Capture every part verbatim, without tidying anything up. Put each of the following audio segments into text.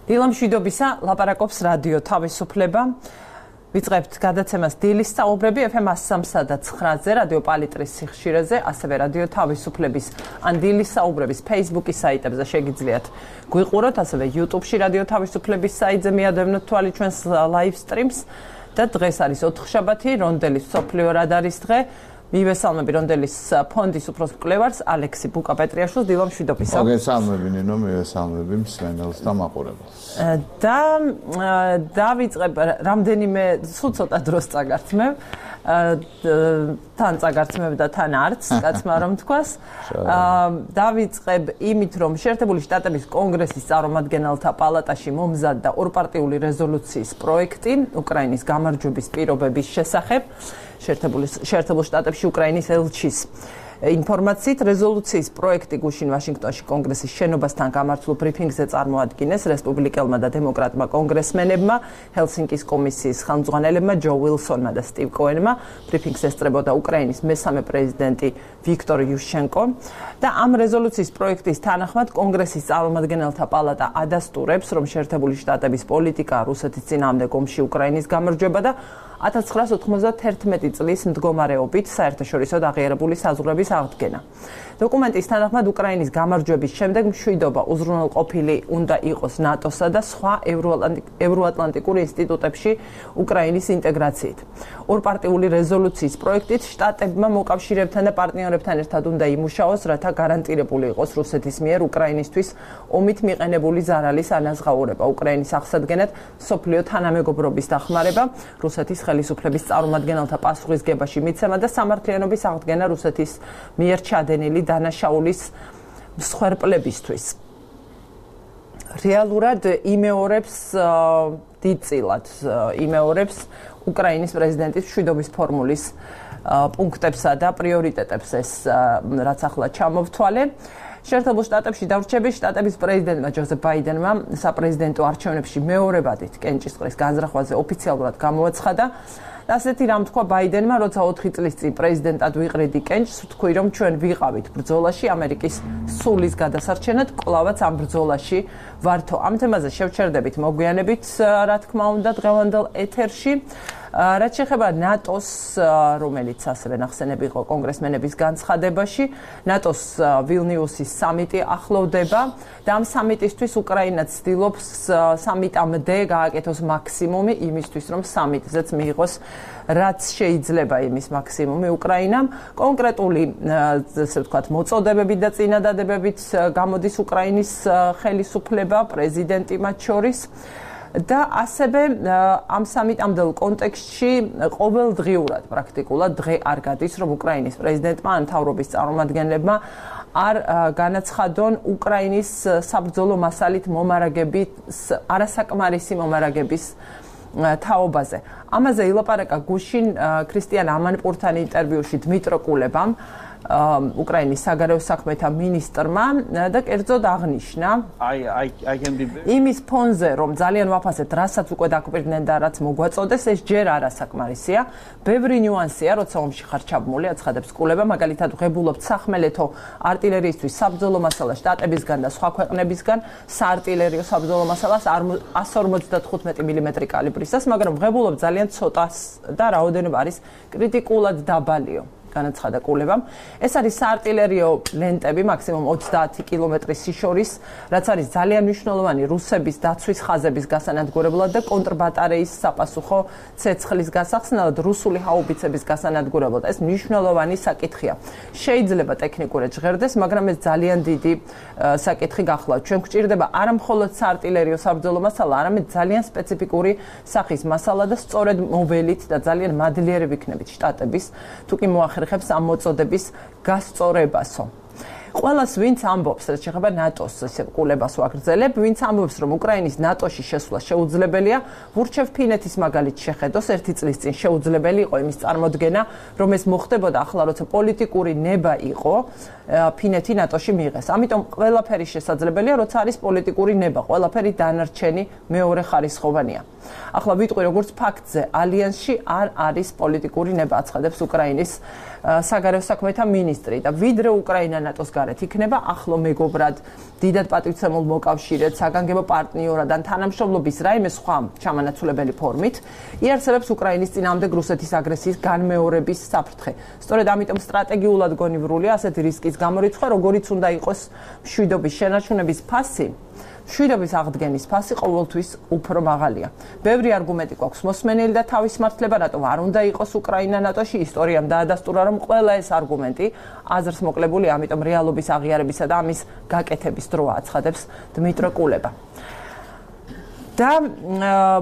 დილამშვიდობისა, ლაპარაკობს რადიო თავისუფლება. ვიწყებთ გადაცემას დილის საუბრები ეფ ემ სამსა და ცხრაზე, რადიო პალიტრის სიხშირეზე, ასევე რადიო თავისუფლების ან დილის საუბრების Facebook-ის საიტებზე შეგიძლიათ გვიყუროთ, ასევე YouTube-ში რადიო თავისუფლების საიტზე მიადევნოთ თვალი ჩვენს live streams და დღეს არის ოთხშაბათი, რონდელის მსოფლიო რადარის დღე. მივესალმები რონდელის ფონდის უფროს მკვლევარს ალექსი ბუკა-პეტრიაშვილს, დილამშვიდობისა. მოგესალმები ნინო, მივესალმები მსმენელს და მაყურებელს. და დავიწყებ რამდენიმე სულ ცოტა დროს წაგართმევ. თან წაგართმევ და თან არც, კაცმა რომ თქვას. დავიწყებ იმით, რომ შეერთებული შტატების კონგრესის წარმომადგენელთა პალატაში მომზადდა ორპარტიული რეზოლუციის პროექტი უკრაინის გამარჯვების პირობების შესახებ. შეერთებული შეერთებულ შტატებში უკრაინის ელჩის ინფორმაციით რეზოლუციის პროექტი გუშინ ვაშინგტონში კონგრესის შენობასთან გამართულ ბრიფინგზე წარმოადგინეს რესპუბლიკელმა და დემოკრატმა კონგრესმენებმა, ჰელსინკის კომისიის ხელმძღვანელებმა ჯო ვილსონმა და სტივ კოენმა. ბრიფინგს ესწრებოდა უკრაინის მესამე პრეზიდენტი ვიქტორ იუშენკო და ამ რეზოლუციის პროექტის თანახმად კონგრესის წარმომადგენელთა პალატა ადასტურებს, რომ შეერთებული შტატების პოლიტიკა რუსეთის წინააღმდეგ ომში უკრაინის გამარჯვება და ათას ცხრაას ოთხმოცდაათერთმეტი წლის მდგომარეობით საერთაშორისო დაღიარებული საზღვრების აღდგენა. დოკუმენტის თანახმად უკრაინის გამარჯვების შემდეგ მშვიდობა უზრუნველყოფილი უნდა იყოს ნატოსა და სხვა ევროატლანტიკურ ინსტიტუტებში უკრაინის ინტეგრაციით. ორპარტიული რეზოლუციის პროექტით შტატებმა მოკავშირეებთან და პარტნიორებთან ერთად უნდა იმუშაოს, რათა გარანტირებული იყოს რუსეთის მიერ უკრაინისთვის ომით მიყენებული ზარალის ანაზღაურება, უკრაინის აღსადგენად მსოფლიო თანამეგობრობის დახმარება, რუსეთის ხელისუფლების წარმომადგენელთა პასუხისგებაში მიცემა და სამართლიანობის აღდგენა რუსეთის მიერ ჩადენილი დანაშაულის მსხვერპლებისთვის. რეალურად იმეორებს დიდწილად იმეორებს უკრაინის პრეზიდენტის მშვიდობის ფორმულის პუნქტებსა და პრიორიტეტებს ეს რაც ახლა ჩამოვთვალე. შეერთებულ შტატებში დარჩების შტატების პრეზიდენტმა ჯოზეფ ბაიდენმა საპრეზიდენტო არჩევნებში მეორებადით კენჭისყრის განზრახვაზე ოფიციალურად გამოაცხადა. ასეთი რამ თქვა ბაიდენმა, როცა ოთხი წლის წინ პრეზიდენტად ვიყრიდი კენჭს, ვთქვი, რომ ჩვენ ვიყავით ბრძოლაში ამერიკის სულის გადასარჩენად, კვლავაც ამ ბრძოლაში ვართო. ამ თემაზე შევჩერდებით მოგვიანებით, რა თქმა უნდა, დღევანდელ ეთერში. რაც შეეხება ნატოს, რომელიც ასევე ნახსენები იყო კონგრესმენების განცხადებაში, ნატოს ვილნიუსის სამიტი ახლოვდება და ამ სამიტისთვის უკრაინა ცდილობს სამიტამდე გააკეთოს მაქსიმუმი იმისთვის, რომ სამიტზეც მიიღოს რაც შეიძლება იმის მაქსიმუმი უკრაინამ. კონკრეტული, ესე ვთქვათ, მოწოდებებით და წინადადებებით გამოდის უკრაინის ხელისუფლება, პრეზიდენტი მათ შორის. და ასევე ამ სამიტამდელ კონტექსტში ყოველდღიურად პრაქტიკულად დღე არ გადის, რომ უკრაინის პრეზიდენტმა ან მთავრობის წარმომადგენლებმა არ განაცხადონ უკრაინის საბრძოლო მასალით მომარაგების არასაკმარისი მომარაგების თაობაზე. ამაზე ილაპარაკა გუშინ ქრისტიან ამანპურთან ინტერვიუში დმიტრო კულებამ, უკრაინის საგარეო საქმეთა მინისტრმა და კერძოდ აღნიშნა იმის ფონზე, რომ ძალიან ვაფასეთ, რასაც უკვე დაგვირდნენ და რაც მოგვაწოდეს, ეს ჯერ არასაკმარისია. ბევრი ნიუანსია, როცა ომში ხარ ჩაბმული, აცხადებს კულება, მაგალითად ვღებულობთ სახმელეთო არტილერიისთვის საბრძოლო მასალა შტატებისგან და სხვა ქვეყნებისგან, საარტილერიო საბრძოლო მასალას ათას ორმოცდათხუთმეტი მილიმეტრი კალიბრისას, მაგრამ ვღებულობთ ძალიან ცოტას და რაოდენობა არის კრიტიკულად დაბალიო. განაცხადა კულებამ. ეს არის საარტილერიო ლენტები, მაქსიმუმ ოცდაათი კილომეტრის სიშორის, რაც არის ძალიან მნიშვნელოვანი რუსების დაცვის ხაზების გასანადგურებლად და კონტრბატარეის საფასუხო ცეცხლის გასახსნელად, რუსული ჰაუბიცების გასანადგურებლად. ეს მნიშვნელოვანი საკითხია. შეიძლება ტექნიკურად ჟღერდეს, მაგრამ ეს ძალიან დიდი საკითხი გახლავთ. ჩვენ გვჭირდება არა მხოლოდ საარტილერიო საბრძოლო მასალა, არამედ ძალიან სპეციფიკური სახის მასალა და სწორედ მოველით და ძალიან მადლიერი ვიქნებით შტატების, თუკი მოახერხებს ამ მოწოდების გასწორებასო. ყველას ვინც ამბობს, რაც შეეხება ნატოს ესე კულებას ვაგრძელებ, ვინც ამბობს, რომ უკრაინის ნატოში შესვლა შეუძლებელია, ვურჩევ ფინეთის მაგალით შეხედოს, ერთი წლის წინ შეუძლებელი იყო იმის წარმოდგენა, რომ ეს მოხდებოდა ახლა, როცა პოლიტიკური ნება იყო, ფინეთი ნატოში მიიღეს. ამიტომ ყველაფერი შესაძლებელია, როცა არის პოლიტიკური ნება, ყველაფერი დანარჩენი მეორე ხარისხოვანია. ახლა ვიტყვი, როგორც ფაქტზე, ალიანსში არ არის პოლიტიკური ნება, აცხადებს უკრაინის საგარეო საქმეთა მინისტრი და ვიდრე უკრაინა ნატოს გარეთ იქნება ახლო მეგობრად, დიდად პატივცემულ მოკავშირედ, საგანგებო პარტნიორად ან თანამშრომლობის რაიმე სხვა ჩამანაცვლებელი ფორმით იარსებებს უკრაინის წინააღმდეგ რუსეთის აგრესიის განმეორების საფრთხე. სწორედ ამიტომ სტრატეგიულად გონივრულია ასეთი რისკის გამორიცხვა, როგორიც უნდა იყოს მშვიდობის შენარჩუნების ფასი. მშვიდობის აღდგენის ფასი ყოველთვის უფრო მაღალია. ბევრი არგუმენტი გვაქვს მოსმენელი და თავის მართლება, რატომ არ უნდა იყოს უკრაინა ნატოში. ისტორიამ დაადასტურა, რომ ყველა ეს არგუმენტი აზრს მოკლებულია, ამიტომ რეალობის აღიარებისა და ამის გაკეთების დროა, აცხადებს დმიტრო კულება. და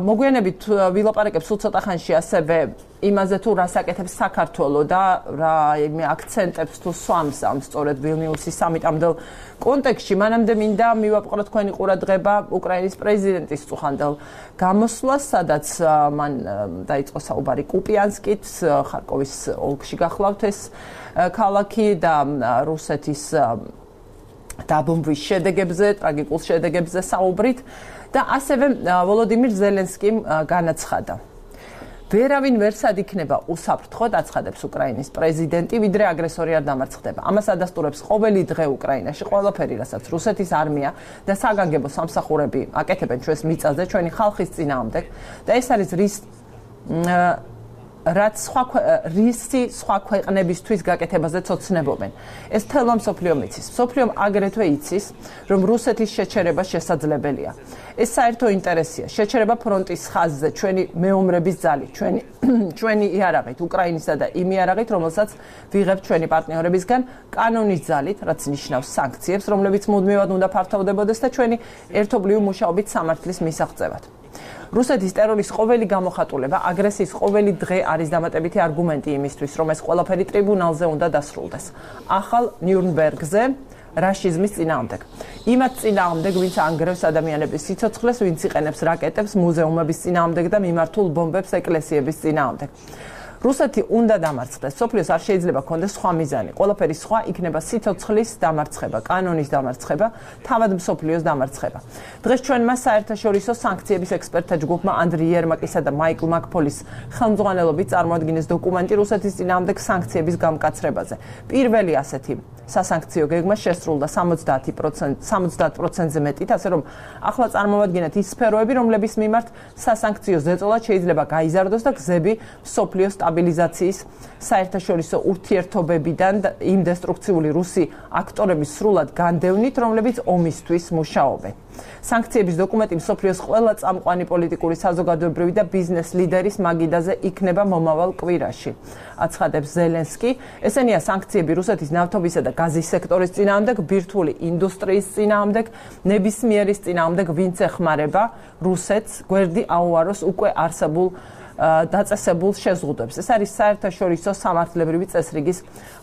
მოგვიანებით ვილაპარაკებს სულ ცოტა ხანში ასევე იმაზე თუ რას აკეთებს საქართველო და რა იმე აქცენტებს თუ სვამს ამ სწორედ ვილნიუსის სამიტამდელ კონტექსტში. მანამდე მინდა მივაპყროთ თქვენი ყურადღება უკრაინის პრეზიდენტის წუხანდელ გამოსვლას, სადაც მან დაიწყო საუბარი კუპიანსკით, ხარკოვის ოლქში გახლავთ ეს ქალაქი და რუსეთის დაბომბვის შედეგებზე, ტრაგიკულ შედეგებზე საუბრით და ასევე ვოლოდიმირ ზელენსკიმ განაცხადა. ვერავინ ვერსად იქნება უსაფრთხოდ, აცხადებს უკრაინის პრეზიდენტი, ვიდრე აგრესორი არ დამარცხდება. ამას ადასტურებს ყოველი დღე უკრაინაში ყველაფერი, რასაც რუსეთის არმია და საგანგებო სამსახურები აკეთებენ ჩვენს მიწაზე, ჩვენი ხალხის წინააღმდეგ და ეს არის რის რაც სხვა რისი სხვა ქვეყნებისთვის გაკეთებაზე ცოცნებობენ. ეს თელმა მსოფლიომ იცის. მსოფლიომ აგრეთვე იცის, რომ რუსეთის შეჩერება შესაძლებელია. ეს საერთო ინტერესია. შეჩერება ფრონტის ხაზზე, ჩვენი მეომრების ძალით, ჩვენი ჩვენი იარაღით, უკრაინისა და იმ იარაღით, რომელსაც ვიღებთ ჩვენი პარტნიორებისგან, კანონის ძალით, რაც ნიშნავს სანქციებს, რომლებიც მუდმივად უნდა ფართოვდებოდეს და ჩვენი ერთობლივი მუშაობით სამართლის მისაღწევად. რუსეთის ტერორის ყოველი გამოხატულება, აგრესიის ყოველი დღე არის დამატებითი არგუმენტი იმისთვის, რომ ეს ყველაფერი ტრიბუნალზე უნდა დასრულდეს. ახალ ნიურნბერგზე რაშიზმის წინააღმდეგ. იმათ წინააღმდეგ, ვინც ანგრევს ადამიანების სიცოცხლეს, ვინც იყენებს რაკეტებს მუზეუმების წინააღმდეგ და მიმართულ ბომბებს ეკლესიების წინააღმდეგ. რუსეთი უნდა დამარცხდეს. სოფლიოს არ შეიძლება ქონდეს სხვა მიზანი. ყველაფერი სხვა იქნება სიცოცხლის დამარცხება, კანონის დამარცხება, თავად მსოფლიოს დამარცხება. დღეს ჩვენმა საერთაშორისო სანქციების ექსპერტთა ჯგუფმა ანდრი იერმაკისა და მაიკლ მაკფოლის ხელმძღვანელობით წარმოადგინეს დოკუმენტი რუსეთის წინააღმდეგ სანქციების გამკაცრებაზე. პირველი ასეთი სასანქციო გეგმა შესრულდა სამოცდაათ პროცენტზე მეტით, ასე რომ ახლა წარმოვადგინეთ ის სფეროები, რომლების მიმართ სასანქციო ზეწოლა შეიძლება გაიზარდოს და გზები მსოფლიოს სტაბილიზაციის საერთაშორისო ურთიერთობებიდან იმ დესტრუქციული რუსი აქტორების სრულად განდევნით, რომლებიც ომისთვის მუშაობენ. სანქციების დოკუმენტი მსოფლიოს ყველა წამყვანი პოლიტიკური, საზოგადოებრივი და ბიზნეს ლიდერის მაგიდაზე იქნება მომავალ კვირაში. აცხადებს ზელენსკი. ესენია სანქციები რუსეთის ნავთობისა და გაზის სექტორის წინააღმდეგ, ბირთვული ინდუსტრიის წინააღმდეგ, ნებისმიერის წინააღმდეგ, ვინც ეხმარება რუსეთს გვერდი აუაროს უკვე არსებულ დაწესებულ შეზღუდვებს. ეს არის საერთაშორისო სამართლებრივი წესრიგის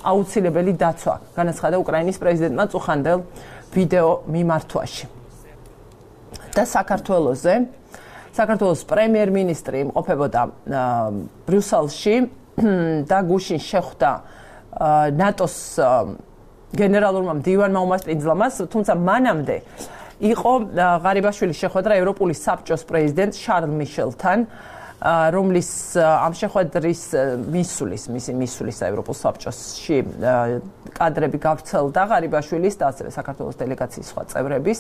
აუცილებელი დაცვა, განაცხადა უკრაინის პრეზიდენტმა წუხანდელ ვიდეო მიმართვაში. და საქართველოზე საქართველოს პრემიერ-მინისტრი იმყოფებოდა ბრიუსელში და გუშინ შეხვდა ნატოს გენერალურმა მდივანმა უმასპინძლამას, თუმცა მანამდე იყო ღარიბაშვილის შეხვედრა ევროპული საბჭოს პრეზიდენტ შარლ მიშელთან, რომლის ამ შეხვედრის მისulis, მისი მისulis ევროპულ საბჭოში კადრები გავრცელდა ღარიბაშვილის და ასევე საქართველოს დელეგაციის სხვა წევრების.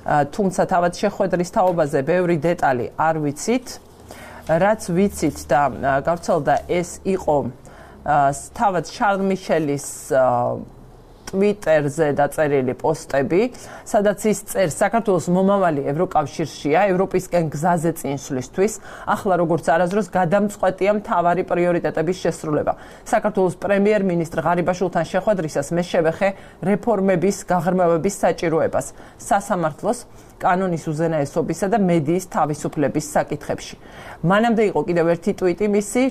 თუმცა თავად შეხვედრის თაობაზე ბევრი დეტალი არ ვიცით. რაც ვიცით და გავრცელდა ეს იყო თავად შარლ მიშელის ტვიტერზე დაწერილი პოსტები, სადაც ის წერს საქართველოს მომავალი ევროკავშირშია, ევროპისკენ გზაზე წინსვლისთვის, ახლა როგორც არასდროს გადამწყვეტია მთავარი პრიორიტეტების შესრულება. საქართველოს პრემიერ-მინისტრ ღარიბაშვილთან შეხვედრისას მე შევეხე რეფორმების გაღრმავების საჭიროებას სასამართლოს, კანონის უზენაესობისა და მედიის თავისუფლების საკითხებში. მანამდე იყო კიდევ ერთი ტვიტი მისი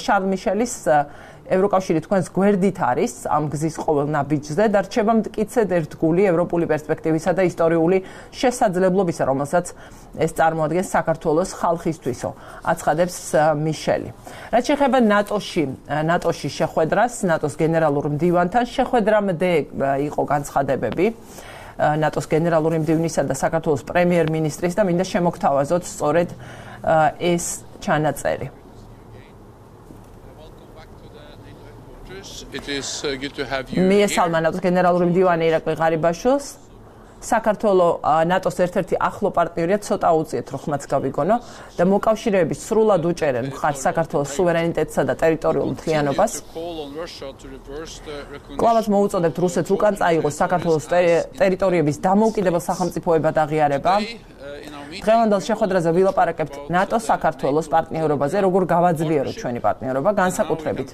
შარლ მიშელის ევროკავშირი თქვენს გვერდით არის ამ გზის ყოველ ნაბიჯზე და რჩება მტკიცედ ერთგული ევროპული პერსპექტივისა და ისტორიული შესაძლებლობისა, რომელსაც ეს წარმოადგენს საქართველოს ხალხისთვისო, აცხადებს მიშელი. რაც შეეხება ნატოში, ნატოში შეხვედრას, ნატოს გენერალურ მდივანთან შეხვედრამდე იყო განცხადებები ნატოს გენერალური მდივნისა და საქართველოს პრემიერ-მინისტრის და მინდა შემოგთავაზოთ სწორედ ეს ჩანაწერი. მიესალმა ნატოს გენერალური მდივანი ირაკლი ღარიბაშვილს. საქართველოს ნატოს ერთ-ერთი ახლო პარტნიორია, ცოტა უწიეთ რომ ხმაც გავიგონო და მოკავშირეების სრულად უჭერენ მხარს საქართველოს სუვერენიტეტსა და ტერიტორიულ მთლიანობას. კლავაც მოუწოდებთ რუსეთს უკან წაიღოს საქართველოს ტერიტორიების დამოუკიდებელ სახელმწიფოებად აღიარება. დღევანდელ შეხვედრაზე ვილაპარაკებთ ნატო-საქართველოს პარტნიორობაზე, როგორ გავაძლიეროთ ჩვენი პარტნიორობა, განსაკუთრებით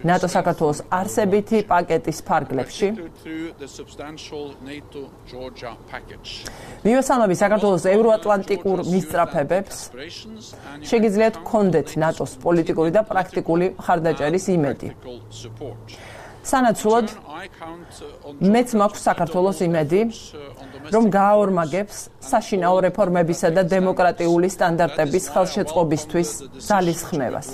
ნატო-საქართველოს არსებითი პაკეტის ფარგლებში. მივესალმები საქართველოს ევროატლანტიკურ მისწრაფებებს. შეგიძლიათ გქონდეთ ნატოს პოლიტიკური და პრაქტიკული მხარდაჭერის იმედი. სანაცვლოდ მეც მაქვს საქართველოს იმედი, რომ გააორმაგებს საშინაო რეფორმებისა და დემოკრატიული სტანდარტების ხელშეწყობისთვის ძალისხმევას.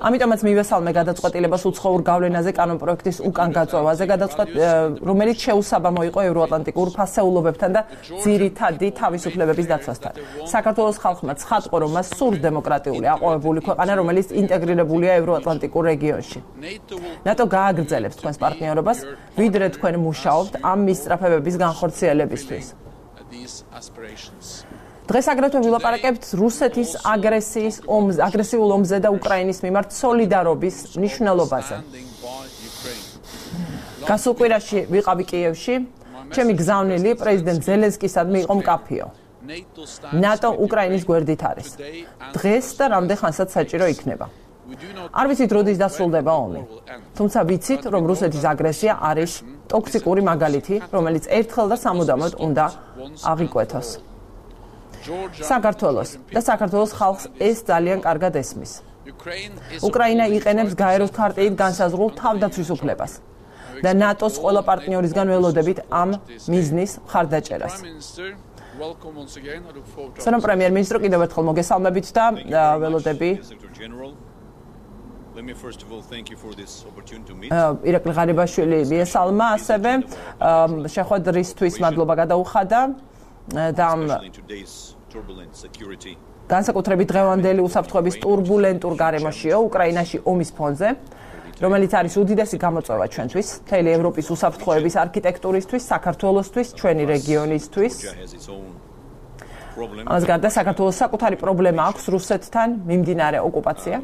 ამიტომაც მივესალმე გადაწყვეტილებას უცხოურ გავლენაზე კანონპროექტის უკან გაწვევაზე, რომელიც შეუსაბამო იყო ევროატლანტიკურ ფასეულობებთან და ძირითადი თავისუფლებების დაცვასთან. საქართველოს ხალხმა ცხადყო, რომ მას სურს დემოკრატიული აყვავებული ქვეყანა, რომელიც ინტეგრირებულია ევროატლანტიკურ რეგიონში. ნატო გააგრძელებს თქვენს პარტნიორობას, ვიდრე თქვენ მუშაობთ ამ მისწრაფებების განხორციელებისთვის. დღეს აგრეთვე ვილაპარაკებთ რუსეთის აგრესიის ომზე, აგრესიულ ომზე და უკრაინის მიმართ სოლიდარობის მნიშვნელობაზე. გასულ კვირაში ვიყავი კიევში, ჩემი გზავნილი პრეზიდენტ ზელენსკისადმი იყო მკაფიო. ნატო უკრაინის გვერდით არის. დღეს და რამდენხანსაც საჭირო იქნება. არ ვიცით როდის დასრულდება ომი. თუმცა ვიცით, რომ რუსეთის აგრესია არის ტოქსიკური მაგალითი, რომელიც ერთხელ და სამუდამოდ უნდა აღიკვეთოს. საქართველოს და საქართველოს ხალხს ეს ძალიან კარგად ესმის. უკრაინა იყენებს გაეროს ქარტით განსაზღვრულ თავდაცვის უფლებას და ნატოს ყველა პარტნიორისგან ველოდებით ამ მიზნის მხარდაჭერას. სანამ პრემიერ-მინისტრო კიდევ ერთხელ მოგესალმებით და ველოდები Let me first of all thank you for this opportunity to meet. ირაკლი ღარიბაშვილი მიესალმა ასევე შეხვედრისთვის მადლობა გადაუხადა და განსაკუთრებით დღევანდელი უსაფრთხოების ტურბულენტურ გარემოშიო უკრაინაში ომის ფონზე, რომელიც არის უდიდესი გამოწვევა ჩვენთვის, მთელი ევროპის უსაფრთხოების არქიტექტურისთვის, საქართველოსთვის, ჩვენი რეგიონისთვის. ამას გარდა საქართველოს საკუთარი პრობლემა აქვს რუსეთთან მიმდინარე ოკუპაცია.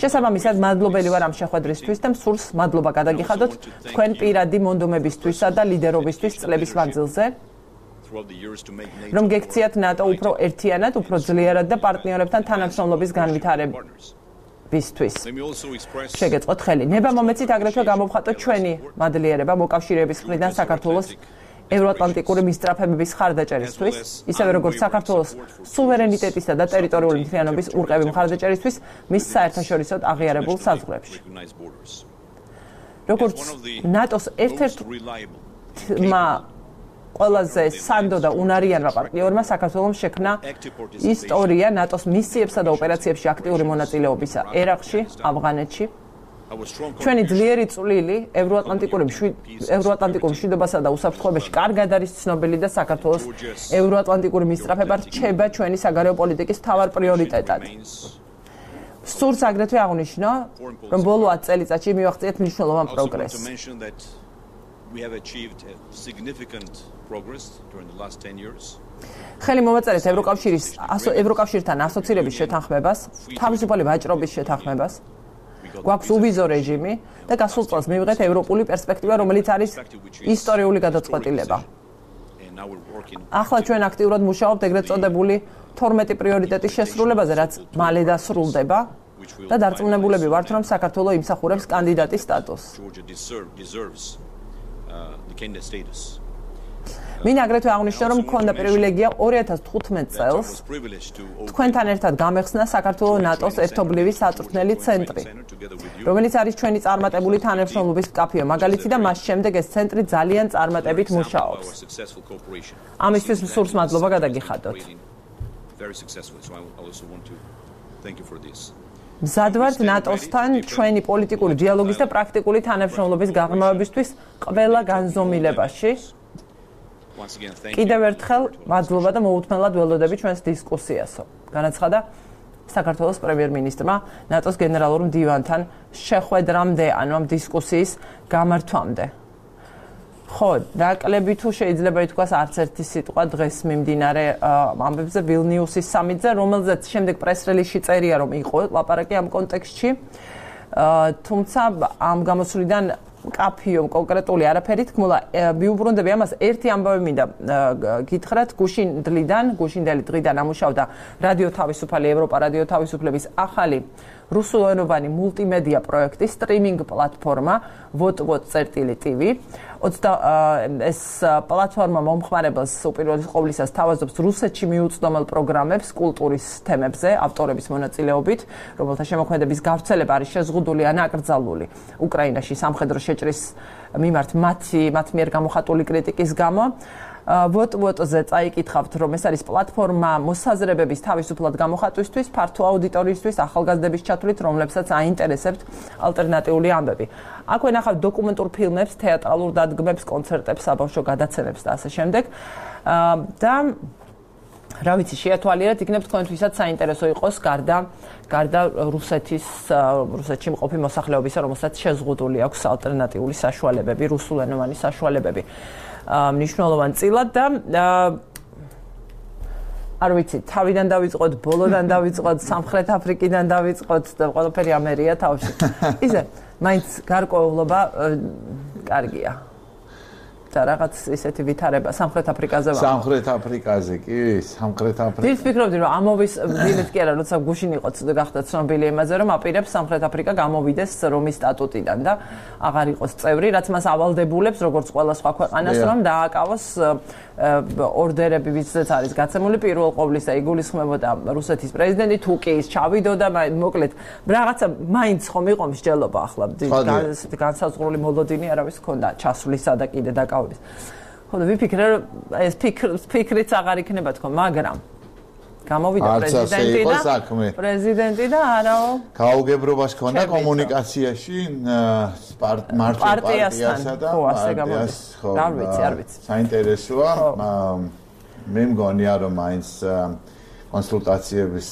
შესაბამისად, მადლობელი ვარ ამ შეხვედრისთვის და მსურს მადლობა გადაგიხადოთ თქვენ პირადი მონდომებისთვისა და ლიდერობისთვის წლების მანძილზე, რომ გექციათ ნატო უფრო ერთიანად, უფრო ძლიერად და პარტნიორებთან თანამშრომლობის განვითარებისთვის. შეგეწყოთ ხელი. ნება მომეცით აგრეთვე გამოვხატოთ ჩვენი მადლიერება მოკავშირეების მხრიდან საქართველოს ევროატლანტიკური მისწრაფებების მხარდაჭერისთვის, ისევე როგორც საქართველოს სუვერენიტეტისა და ტერიტორიული მთლიანობის ურყევი მხარდაჭერისთვის მის საერთაშორისოდ აღიარებულ საზღვრებში. როგორც ნატოს ერთ-ერთმა ყველაზე სანდო და უნარიანმა პარტნიორმა საქართველოს შექმნა ისტორია ნატოს მისიებსა და ოპერაციებში აქტიური მონაწილეობისა ერაყში, ავღანეთში. ჩვენი ძლიერი წვლილი ევროატლანტიკური ევროატლანტიკურ მშვიდობასა და უსაფრთხოებაში კარგად არის ცნობილი და საქართველოს ევროატლანტიკური მისწრაფება რჩება ჩვენი საგარეო პოლიტიკის მთავარ პრიორიტეტად. სურს აგრეთვე აღნიშნო, რომ ბოლო ათ წელიწადში მივაღწიეთ მნიშვნელოვან პროგრესს. ხელი მოვაწერეთ ევროკავშირის ევროკავშირთან ასოცირების შეთანხმებას, თავისუფალი ვაჭრობის შეთანხმებას. გვაქვს უვიზო რეჟიმი და გასულ წელს მივიღეთ ევროპული პერსპექტივა, რომელიც არის ისტორიული გადაწყვეტილება. ახლა ჩვენ აქტიურად მუშაობთ ეგრეთ წოდებული თორმეტი პრიორიტეტის შესრულებაზე, რაც მალე დასრულდება და დარწმუნებულები ვართ, რომ საქართველოს იმსახურებს კანდიდატის სტატუსს. მინდა აგრეთვე აღნიშნო, რომ მქონდა პრივილეგია ორი ათას თხუთმეტ წელს თქვენთან ერთად გამეხსნა საქართველოს ნატოს ერთობლივი საწვრთნელი ცენტრი, რომელიც არის ჩვენი წარმატებული თანამშრომლობის მკაფიო მაგალითი და მას შემდეგ ეს ცენტრი ძალიან წარმატებით მუშაობს. ამისთვის მსურს მადლობა გადაგიხადოთ. მზად ვართ ნატოსთან ჩვენი პოლიტიკური დიალოგის და პრაქტიკული თანამშრომლობის გაღრმავებისთვის ყველა განზომილებაში. კიდევ ერთხელ მადლობა და მოუთმენლად ველოდები ჩვენს დისკუსიასო. განაცხადა საქართველოს პრემიერ-მინისტრმა ნატოს გენერალურ მდივანთან შეხვედრამდე, ანუ ამ დისკუსიის გამართვამდე. ხო, ნაკლები თუ შეიძლება ითქვას არც ერთი სიტყვა დღეს მიმდინარე ამბებზე ვილნიუსის სამიტზე, რომელზეც შემდეგ პრეს-რელიზში წერია, რომ იყო ლაპარაკი ამ კონტექსტში. თუმცა ამ გამოსვლიდან კაფიო კონკრეტული არაფერი თქმულა, მიუბრუნდები ამას ერთი ამბავი მინდა გითხრათ, გუშინდლიდან, გუშინდელი დღიდან ამუშავდა რადიო თავისუფალი, ევროპა რადიო თავისუფლების ახალი რუსულენოვანი მულტიმედია პროექტი, სტრიმინგ პლატფორმა ვოტ-ვოტ წერტილი ტივი. ეს პლატფორმა მომხმარებელს უპირველეს ყოვლისას თავაზობს რუსეთში მიუწვდომელ პროგრამებს კულტურის თემებზე, ავტორების მონაწილეობით, რომელთა შემოქმედების გავრცელება არის შეზღუდული ან აკრძალული უკრაინაში სამხედრო შეჭრის მიმართ მათი მათ მიერ გამოხატული კრიტიკის გამო. ვოტ-ვოტზე წაიკითხავთ, რომ ეს არის პლატფორმა მოსაზრებების თავისუფლად გამოხატვისთვის, ფართო აუდიტორიისთვის, ახალგაზრდების ჩათვლით, რომლებსაც აინტერესებთ ალტერნატიული ამბები. აქვე ნახავთ დოკუმენტურ ფილმებს, თეატრალურ დადგმებს, კონცერტებს, საბავშვო გადაცემებს და ასე შემდეგ. და რა ვიცი, შეათვალიერეთ, იქნებ თქვენთვისაც საინტერესო იყოს გარდა გარდა რუსეთის რუსეთში მყოფი მოსახლეობისა, რომელსაც შეზღუდული აქვს ალტერნატიული საშუალებები, რუსულენოვანი საშუალებები. მნიშვნელოვან წილად და არ ვიცი, თავიდან დავიწყოთ, ბოლოდან დავიწყოთ, სამხრეთ აფრიკიდან დავიწყოთ და ყველაფერი ამერია თავში. ისე, მაინც გარკვეულობა კარგია. და რაღაც ისეთი ვითარება სამხრეთ აფრიკაზე ვარ. სამხრეთ აფრიკაზე კი, სამხრეთ აფრიკა. დილს ფიქრობდი, რომ ამოვის დილით კი არა, როცა გუშინ იყო გახდა ცნობილი იმაზე, რომ აპირებს სამხრეთ აფრიკა გამოვიდეს რომის სტატუტიდან და აღარ იყოს წევრი, რაც მას ავალდებულებს, როგორც ყველა სხვა ქვეყანას, რომ დააკავოს ორდერები, ვისაც არის გაცემული პირველ ყოვლისა იგულისხმებოდა რუსეთის პრეზიდენტი, თუ კი ის ჩავიდოდა, მოკლედ, რაღაცა მაინც ხომ იყო მსჯელობა ახლა განსაზღვრული მოლოდინი არავის ჰქონდა ჩასვლისა და კიდე დაკავების. ხო და ვიფიქრე, რომ ეს ფიქრიც აღარ იქნება თქო, მაგრამ გამოვიდა პრეზიდენტი და პრეზიდენტი და არაო გაუგებრობას ჰქონდა კომუნიკაციაში მარტივ პარტიასა და პარტიას, ხო, არ ვიცი, არ ვიცი. საინტერესოა, მე მგონია რომ მაინც კონსულტაციების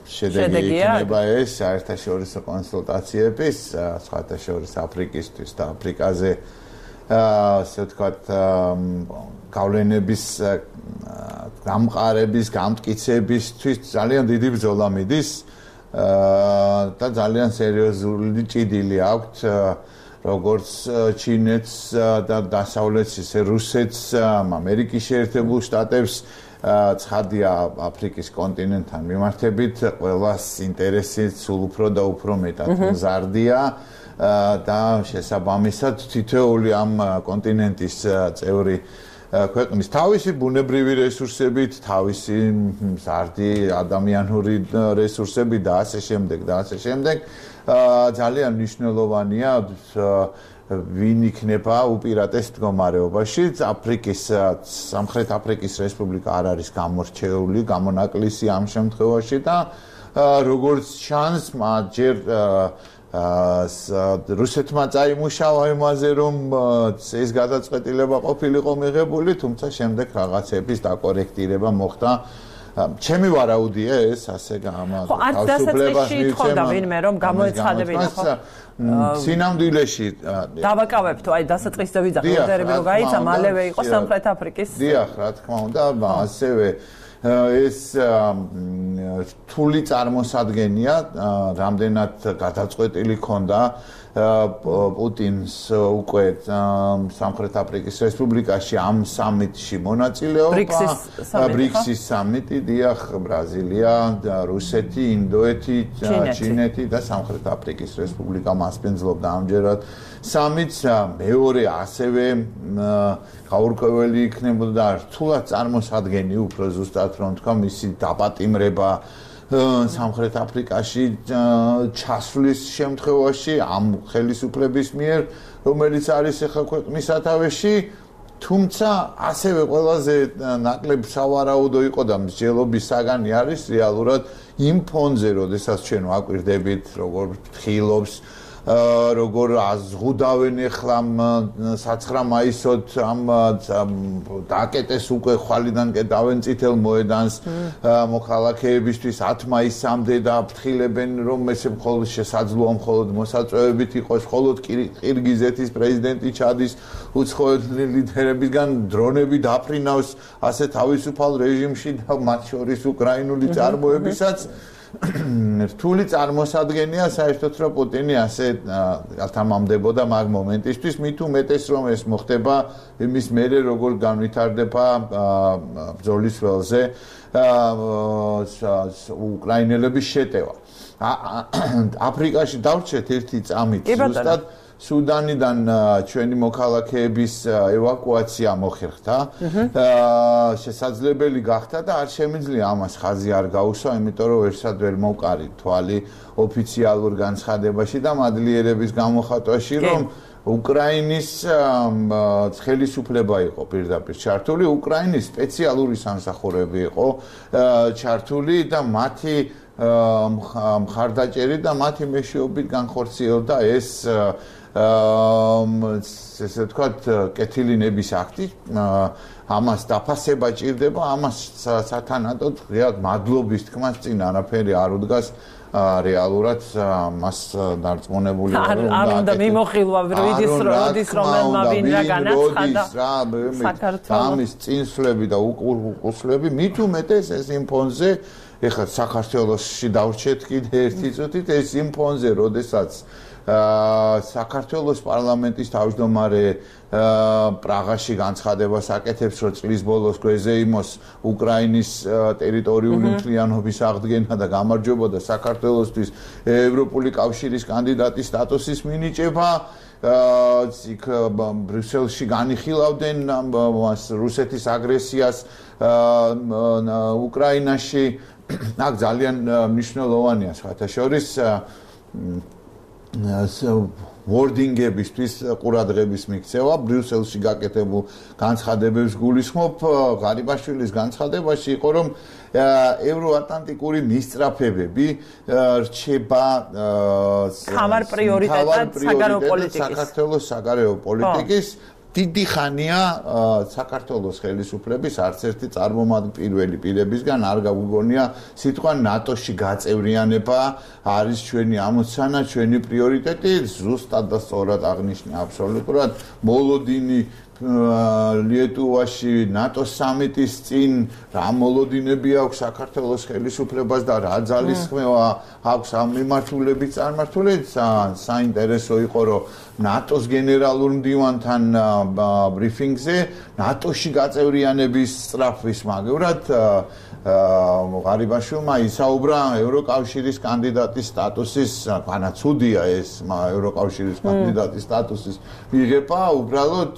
შედეგი იქნება ეს საერთაშორისო კონსულტაციების, საერთაშორისო აფრიკისთვის და აფრიკაზე ასე ვთქვათ გავლენების გამყარების, გამტკიცებისთვის ძალიან დიდი ბრძოლა მიდის და ძალიან სერიოზული ჭიდილი აქვთ როგორც ჩინეთს და დასავლეთს, ისე რუსეთს, ამერიკის შეერთებულ შტატებს ცხადია აფრიკის კონტინენტთან მიმართებით ყველას ინტერესი სულ უფრო და უფრო მეტად მზარდია და შესაბამისად თითოეული ამ კონტინენტის წევრი ქვეყნის თავისი ბუნებრივი რესურსებით, თავისი მზარდი ადამიანური რესურსებით და ასე შემდეგ და ასე შემდეგ ძალიან მნიშვნელოვანია ვინ იქნება უპირატეს მდგომარეობაში. აფრიკის სამხრეთ აფრიკის რესპუბლიკა არ არის გამორჩეული, გამონაკლისი ამ შემთხვევაში და როგორც ჩანს, მათ ჯერ რუსეთმა წაიმუშავა იმაზე, რომ ეს გადაწყვეტილება ყოფილიყო მიღებული, თუმცა შემდეგ რაღაცების დაკორექტირება მოხდა. ჩემი ვარაუდია ეს ასე გამა ხო, არც დასაწყისში ითხოვდა ვინმე, რომ გამოეცხადებინა, ხო? სინამდვილეში დავაკავებთ, აი დასაწყისზე ვიძახ, ორდერები რო გაიცა, მალევე იყო სამხრეთ აფრიკის. დიახ, რა თქმა უნდა, ასევე ეს რთული წარმოსადგენია, რამდენად გადაწყვეტილი ქონდა პუტინს უკვე სამხრეთ აფრიკის რესპუბლიკაში ამ სამიტში მონაწილეობა, ბრიქსის სამიტი, დიახ, ბრაზილია, რუსეთი, ინდოეთი, ჩინეთი და სამხრეთ აფრიკის რესპუბლიკა მასპინძლობდა ამჯერად სამიტს. მეორე ასევე გაურკვეველი იქნებოდა რთულად წარმოსადგენი, უფრო ზუსტად რომ თქვა, მისი დაპატიმრება სამხრეთ აფრიკაში ჩასვლის შემთხვევაში ამ ხელისუფლების მიერ, რომელიც არის ახლა ქვეყნის სათავეში, თუმცა ასევე ყველაზე ნაკლებ სავარაუდო იყო და მსჯელობის საგანი არის რეალურად იმ ფონზე, როდესაც ჩვენ ვაკვირდებით, როგორ ფხილობს როგორ აზღუდავენ ახლა საცხრა მაისოთ ამ დაკეტეს უკვე ხვალიდან კეტავენ წითელ მოედანს მოქალაქეებისთვის ათ მაისამდე და აფრთხილებენ რომ ესე მხოლოდ შესაძლოა მხოლოდ მოსაწვევებით იყოს მხოლოდ ყირგიზეთის პრეზიდენტი ჩადის უცხოელი ლიდერებისგან დრონები დაფრინავს ასე თავისუფალ რეჟიმში და მათ შორის უკრაინული წარმოებისაც რთული წარმოსადგენია საერთოდ რომ პუტინი ასე ათამამდებოდა მაგ მომენტისთვის მით უმეტეს რომ ეს მოხდება იმის მერე როგორ განვითარდება ბრძოლის ველზე უკრაინელების შეტევა აფრიკაში დავრჩეთ ერთი წამით ზუსტად სუდანიდან ჩვენი მოქალაქეების ევაკუაცია მოხერხდა. შესაძლებელი გახდა და არ შემიძლია ამას ხაზი არ გაუსვა, იმიტომ რომ ერთსად ვერ მოვყარი თვალი ოფიციალურ განცხადებაში და მადლიერების გამოხატვაში, რომ უკრაინის ხელისუფლება იყო პირდაპირ ჩართული, უკრაინის სპეციალური სამსახურები იყო ჩართული და მათი მხარდაჭერით და მათი მეშვეობით განხორციელდა ეს ესე ვთქვათ, კეთილინების აქტი, ამას დაფასება ჭირდება, ამას სათანადოდ ღიად მადლობის თქმას წინ არაფერი არ უდგას რეალურად მას დარწმუნებული ვარ რომ არ უნდა მიმოხილვა როდის როდის რომელმა ვინ რა განაცხადა საქართველოს ამის წინსვლები და უკუსლები მით უმეტეს ეს იმ ფონზე ეხლა საქართველოსში დავრჩეთ კიდე ერთი წუთით ეს იმ ფონზე როდესაც საქართველოს პარლამენტის თავმჯდომარე პრაღაში განცხადებას აკეთებს, რომ წლის ბოლოს გვეზეიმოს უკრაინის ტერიტორიული მთლიანობის აღდგენა და გამარჯვება და საქართველოსთვის ევროპული კავშირის კანდიდატის სტატუსის მინიჭება. იქ ბრიუსელში განიხილავდნენ რუსეთის აგრესიას უკრაინაში. აქ ძალიან მნიშვნელოვანია სხვათა შორის wording-ებისთვის ყურადღების მიქცევა ბრიუსელში გაკეთებულ განცხადებებს გულისხმობ ღარიბაშვილის განცხადებაში იყო რომ ევროატლანტიკური მისწრაფებები რჩება ხამარ პრიორიტეტად საგარეო პოლიტიკის საქართველოს საგარეო პოლიტიკის დიდი ხანია საქართველოს ხელისუფლების არც ერთი წარმომადგენელი პირველი პირებისგან არ გაგვიგონია სიტყვა ნატოში გაწევრიანება არის ჩვენი ამოცანა, ჩვენი პრიორიტეტი, ზუსტად და სწორად აღნიშნა აბსოლუტურად მოლოდინი ლიეტუვაში ნატოს სამიტის წინ რა მოლოდინები აქვს საქართველოს ხელისუფლებას და რა ძალისხმევა აქვს ამ მიმართულებით წარმართული საინტერესო იყო რომ ნატოს გენერალურ მდივანთან ბრიფინგზე ნატოში გაწევრიანების სწრაფვის მაგევრად ღარიბაშვილმა ისაუბრა ევროკავშირის კანდიდატის სტატუსის განაცუდია ეს ევროკავშირის კანდიდატის სტატუსის მიღება უბრალოდ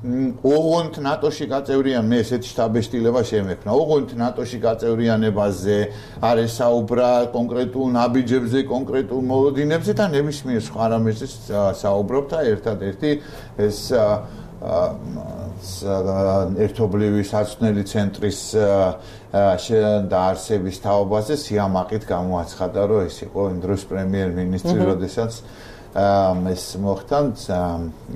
ოღონდ ნატოში გაწევრიან მე ესეთი შთაბეჭდილება შემექნა ოღონდ ნატოში გაწევრიანებაზე არ ესაუბრა კონკრეტულ ნაბიჯებზე კონკრეტულ მოლოდინებზე და ნებისმიერ სხვა რამეზე საუბრობ და ერთადერთი ეს ერთობლივი საცნელი ცენტრის დაარსების თაობაზე სიამაყით გამოაცხადა რომ ეს იყო იმ დროს პრემიერ-მინისტრი როდესაც ეს მოხდა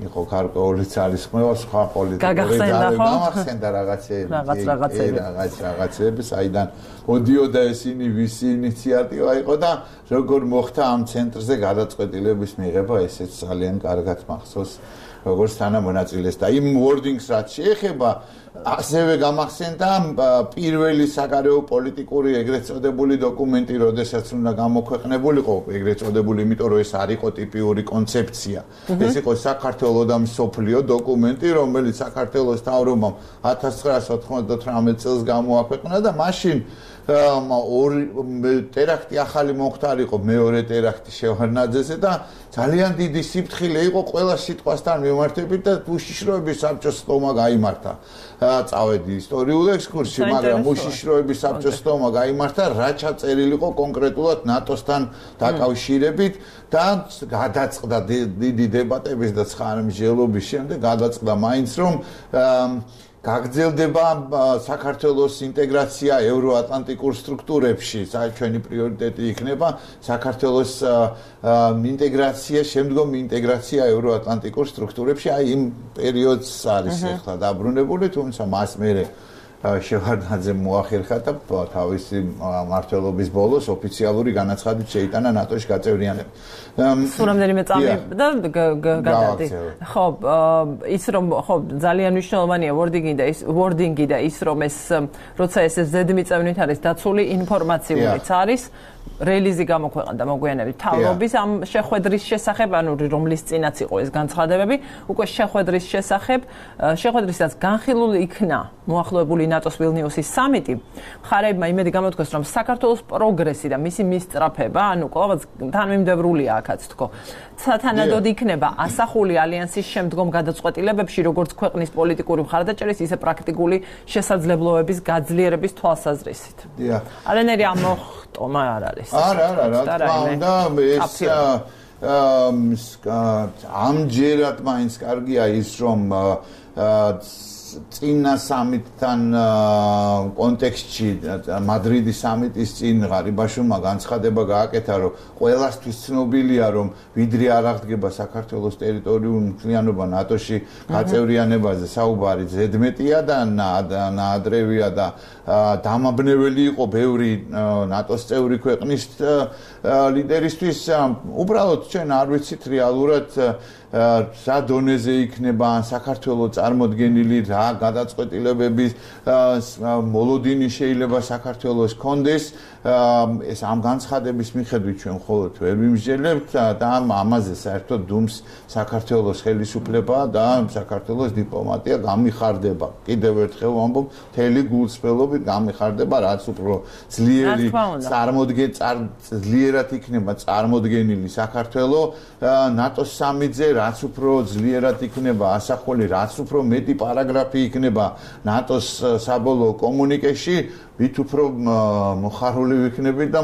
იყო გარკვეული ძალისხმევა სხვა პოლიტიკური გამახსენდა რაღაცეები რაღაც რაღაცეები საიდან მოდიოდა ესენი ვისი ინიციატივა იყო და როგორ მოხდა ამ ცენტრზე გადაწყვეტილების მიღება ესეც ძალიან კარგად მახსოვს როგორც თანამონაწილეს და იმ wordings რაც შეეხება ასევე გამახსენდა პირველი საგარეო პოლიტიკური ეგრეთ წოდებული დოკუმენტი, როდესაც უნდა გამოქვეყნებულიყო ეგრეთ წოდებული, იმიტომ რომ ეს არ იყო ტიპიური კონცეფცია. ეს იყო საქართველოს და მსოფლიო დოკუმენტი, რომელიც საქართველოს მთავრობამ ათას ცხრაასა ოთხმოცდათვრამეტ წელს გამოაქვეყნა და მაშინ ორი ტერაქტი ახალი მომხდარიყო მეორე ტერაქტი შევარდნაძეზე და ძალიან დიდი სიფრთხილე იყო ყველა სიტყვასთან მიმართებით და უშიშროების საბჭოს სტომა გაიმართა. წავედი ისტორიულ ექსკურსში, მაგრამ უშიშროების საბჭოს სტომა გაიმართა, რა ჩაწერილი იყო კონკრეტულად ნატოსთან დაკავშირებით და გადაწყდა დიდი დებატების და ცხარმჟელობის შემდეგ გადაწყდა მაინც რომ გაგრძელდება საქართველოს ინტეგრაცია ევროატლანტიკურ სტრუქტურებში, ჩვენი პრიორიტეტი იქნება საქართველოს ინტეგრაცია, შემდგომ ინტეგრაცია ევროატლანტიკურ სტრუქტურებში, აი იმ პერიოდს არის ახლა დაბრუნებული, თუმცა მას მერე შევარდნაძე მოახერხა და თავისი მმართველობის ბოლოს ოფიციალური განაცხადით შეიტანა ნატოში გაწევრიანება. სულ რამდენიმე წამი და გადადი. ხო, ის რომ ხო ძალიან მნიშვნელოვანია wording-ი და ის wording-ი და ის რომ ეს როცა ეს ზედმიწევნით არის დაცული ინფორმაციურიც არის რელიზი გამოქვეყნდა მოგვიანებით თავრობის ამ შეხვედრის შესახებ, ანუ რომლის წინაც იყო ეს განცხადებები, უკვე შეხვედრის შესახებ, შეხვედრისაც განხილული იქნა მოახლოებული ნატოს ვილნიუსის სამიტი. მხარეებმა იმედი გამოთქვეს, რომ საქართველოს პროგრესი და მისი მისწრაფება, ანუ ყოველთვის თანმიმდევრულია აქაც თქო. სათანადოდ იქნება ასახული ალიანსის შემდგომ გადაწყვეტილებებში, როგორც ქვეყნის პოლიტიკური მხარდაჭერის, ისე პრაქტიკული შესაძლებლობების გაძლიერების თვალსაზრისით. დიახ. არანაირი ამოხტომა არ არის. არა, არა, რა თქმა უნდა, ეს ამჯერად მაინც კარგია ის, რომ წინა სამიტთან კონტექსტში მადრიდის სამიტის წინ ღარიბაშვილმა განცხადება გააკეთა, რომ ყველასთვის ცნობილია, რომ ვიდრე არ აღდგება საქართველოს ტერიტორიული მთლიანობა ნატოში გაწევრიანებაზე საუბარი ზედმეტია და ნაადრევია და დამაბნეველი იყო ბევრი ნატოს წევრი ქვეყნის ლიდერისთვის. უბრალოდ ჩვენ არ ვიცით რეალურად რა დონეზე იქნება საქართველოს წარმოდგენილი, რა გადაწყვეტილებების მოლოდინი შეიძლება საქართველოს კონდეს. ეს ამ განცხადების მიხედვით ჩვენ მხოლოდ ვერ ვიმსჯელებთ და ამაზე საერთოდ დუმს საქართველოს ხელისუფლება და საქართველოს დიპლომატია გამიხარდება. კიდევ ერთხელ ვამბობ, მთელი გულწრფელობით გამიხარდება, რაც უფრო ძლიერი წარმოდგენ ძლიერად იქნება წარმოდგენილი საქართველოს ნატოს სამიტზე, რაც უფრო ძლიერად იქნება ასახული, რაც უფრო მეტი პარაგრაფი იქნება ნატოს საბოლოო კომუნიკეში, ვით უფრო მოხარული ვიქნები და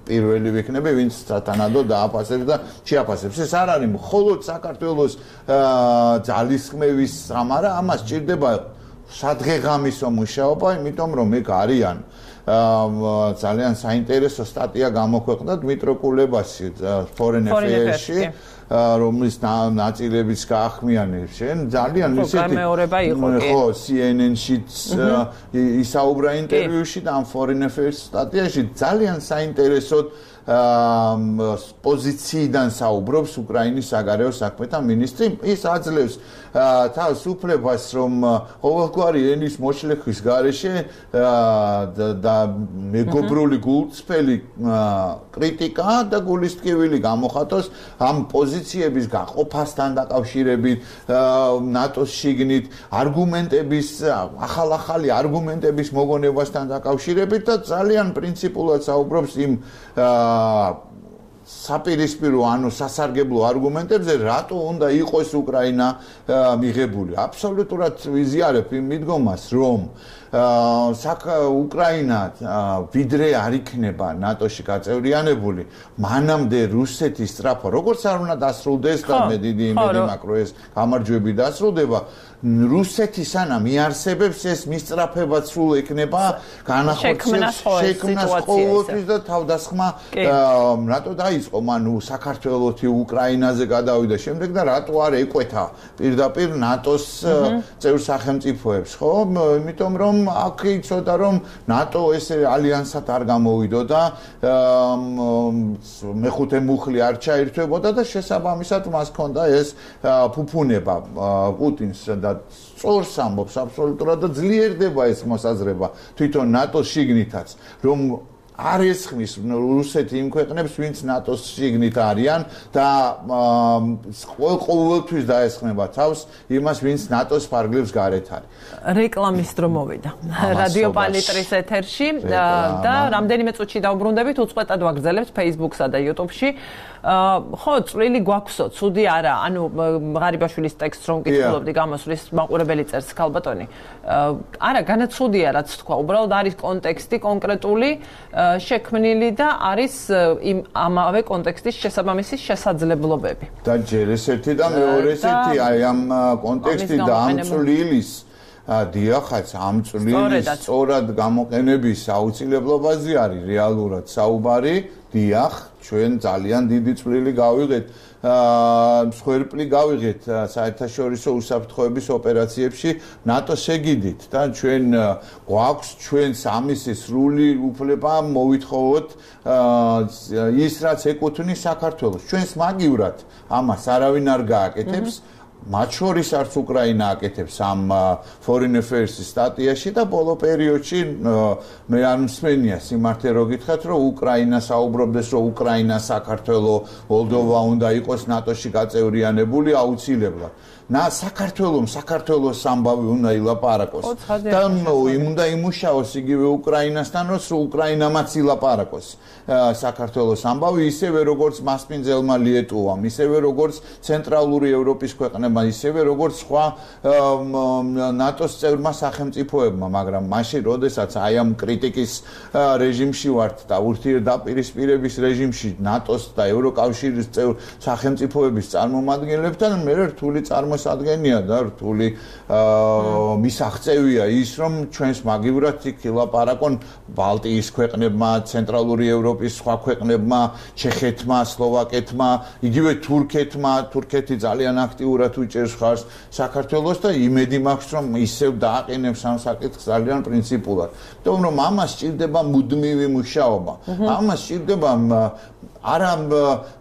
პირველი ვიქნები, ვინც სათანადოდ დააფასებს და შეაფასებს. ეს არ არის მხოლოდ საქართველოს ძალისხმევის ამარა, ამას ჭირდება სადღეღამისო მუშაობა, იმიტომ რომ ეგ არიან ძალიან საინტერესო სტატია გამოქვეყნდა დმიტრო კულებასი Foreign Affairs-ში, რომლის ნაწილებიც გაახმიანებს შენ ძალიან ისეთი ხო C N N-შიც ისაუბრა ინტერვიუში და ამ Foreign Affairs სტატიაში ძალიან საინტერესოდ პოზიციიდან საუბრობს უკრაინის საგარეო საქმეთა მინისტრი. ის აძლევს თავს უფლებას, რომ ყოველგვარი ენის მოშლეხვის გარეშე და მეგობრული გულწრფელი კრიტიკა და გულისტკივილი გამოხატოს ამ პოზიციების გაყოფასთან დაკავშირებით, ნატოს შიგნით, არგუმენტების, ახალ-ახალი არგუმენტების მოგონებასთან დაკავშირებით და ძალიან პრინციპულად საუბრობს იმ საპირისპირო ანუ სასარგებლო არგუმენტებზე, რატო უნდა იყოს უკრაინა მიღებული. აბსოლუტურად ვიზიარებ იმ მიდგომას, რომ უკრაინა ვიდრე არ იქნება ნატოში გაწევრიანებული, მანამდე რუსეთის სწრაფვა, როგორც არ უნდა დასრულდეს და მე დიდი იმედი მაქვს, რომ ეს გამარჯვები დასრულდება, რუსეთი სანამ იარსებებს ეს მისწრაფება სულ ექნება განახორციელოს შექმნას ყოველთვის და თავდასხმა რატო დაიწყო მან საქართველოსი უკრაინაზე გადავიდა შემდეგ და რატო არ ეკვეთა პირდაპირ ნატოს წევრ სახელმწიფოებს, ხო? იმიტომ რომ აქ იცოდა რომ ნატო ესე ალიანსად არ გამოვიდო და მეხუთე მუხლი არ ჩაერთვებოდა და შესაბამისად მას ჰქონდა ეს ფუფუნება პუტინს და სწორს ამბობს აბსოლუტურად და ძლიერდება ეს მოსაზრება თვითონ ნატოს შიგნითაც, რომ არ ესხმის რუსეთი იმ ქვეყნებს, ვინც ნატოს შიგნით არიან და ყოველთვის დაესხმება თავს იმას, ვინც ნატოს ფარგლებს გარეთ არის. რეკლამის დრო მოვიდა რადიო პალიტრის ეთერში და რამდენიმე წუთში დავბრუნდებით, უწყვეტად ვაგრძელებთ Facebook-სა და YouTube-ში. ხო, წვლილი გვაქვსო, ცუდი არა, ანუ ღარიბაშვილის ტექსტს რომ კითხულობდი გამოსვლის მაყურებელი წერს ქალბატონი. არა, განაცუდია რაც თქვა, უბრალოდ არის კონტექსტი კონკრეტული შექმნილი და არის იმ ამავე კონტექსტის შესაბამისი შესაძლებლობები. და ჯერ ეს ერთი და მეორე ესეთი, აი ამ კონტექსტი და ამ წვლილის დიახაც ამ წვლილის სწორად გამოყენების აუცილებლობაზე არის რეალურად საუბარი. დიახ, ჩვენ ძალიან დიდი წვლილი გავიღეთ მსხვერპლი გავიღეთ საერთაშორისო უსაფრთხოების ოპერაციებში ნატოს ეგიდით და ჩვენ გვაქვს ჩვენს ამის სრული უფლება მოვითხოვოთ ის რაც ეკუთვნის საქართველოს. ჩვენს მაგივრად ამას არავინ არ გააკეთებს. მათ შორის არც უკრაინა აკეთებს ამ Foreign Affairs-ის სტატიაში და ბოლო პერიოდში მე არ მსმენია სიმართლე რო გითხრათ, რომ უკრაინა საუბრობდეს, რომ უკრაინა, საქართველო, მოლდოვა უნდა იყოს ნატოში გაწევრიანებული აუცილებლად. ნა საქართველოს საქართველოს ამბავი უნდა ილაპარაკოს და უნდა იმუშაოს იგივე უკრაინასთან, რომ უკრაინამაც ილაპარაკოს საქართველოს ამბავი, ისევე როგორც მასპინძელმა ლიეტუვამ, ისევე როგორც ცენტრალური ევროპის ქვეყნებმა, ისევე როგორც სხვა ნატოს წევრმა სახელმწიფოებმა, მაგრამ მაშინ, როდესაც აი ამ კრიტიკის რეჟიმში ვართ და ურთიერთდაპირისპირების რეჟიმში ნატოს და ევროკავშირის წევრ სახელმწიფოების წარმომადგენლებთან მე რთული წარმოსადგენია და რთული მისაღწევია ის, რომ ჩვენს მაგივრად იქ ილაპარაკონ ბალტიის ქვეყნებმა, ცენტრალური ევროპის სხვა ქვეყნებმა, ჩეხეთმა, სლოვაკეთმა, იგივე თურქეთმა, თურქეთი ძალიან აქტიურად უჭერს ხარს საქართველოს და იმედი მაქვს, რომ ისევ დააყენებს ამ საკითხს ძალიან პრინციპულად. იმიტომ რომ ამას სჭირდება მუდმივი მუშაობა. ამას სჭირდება არა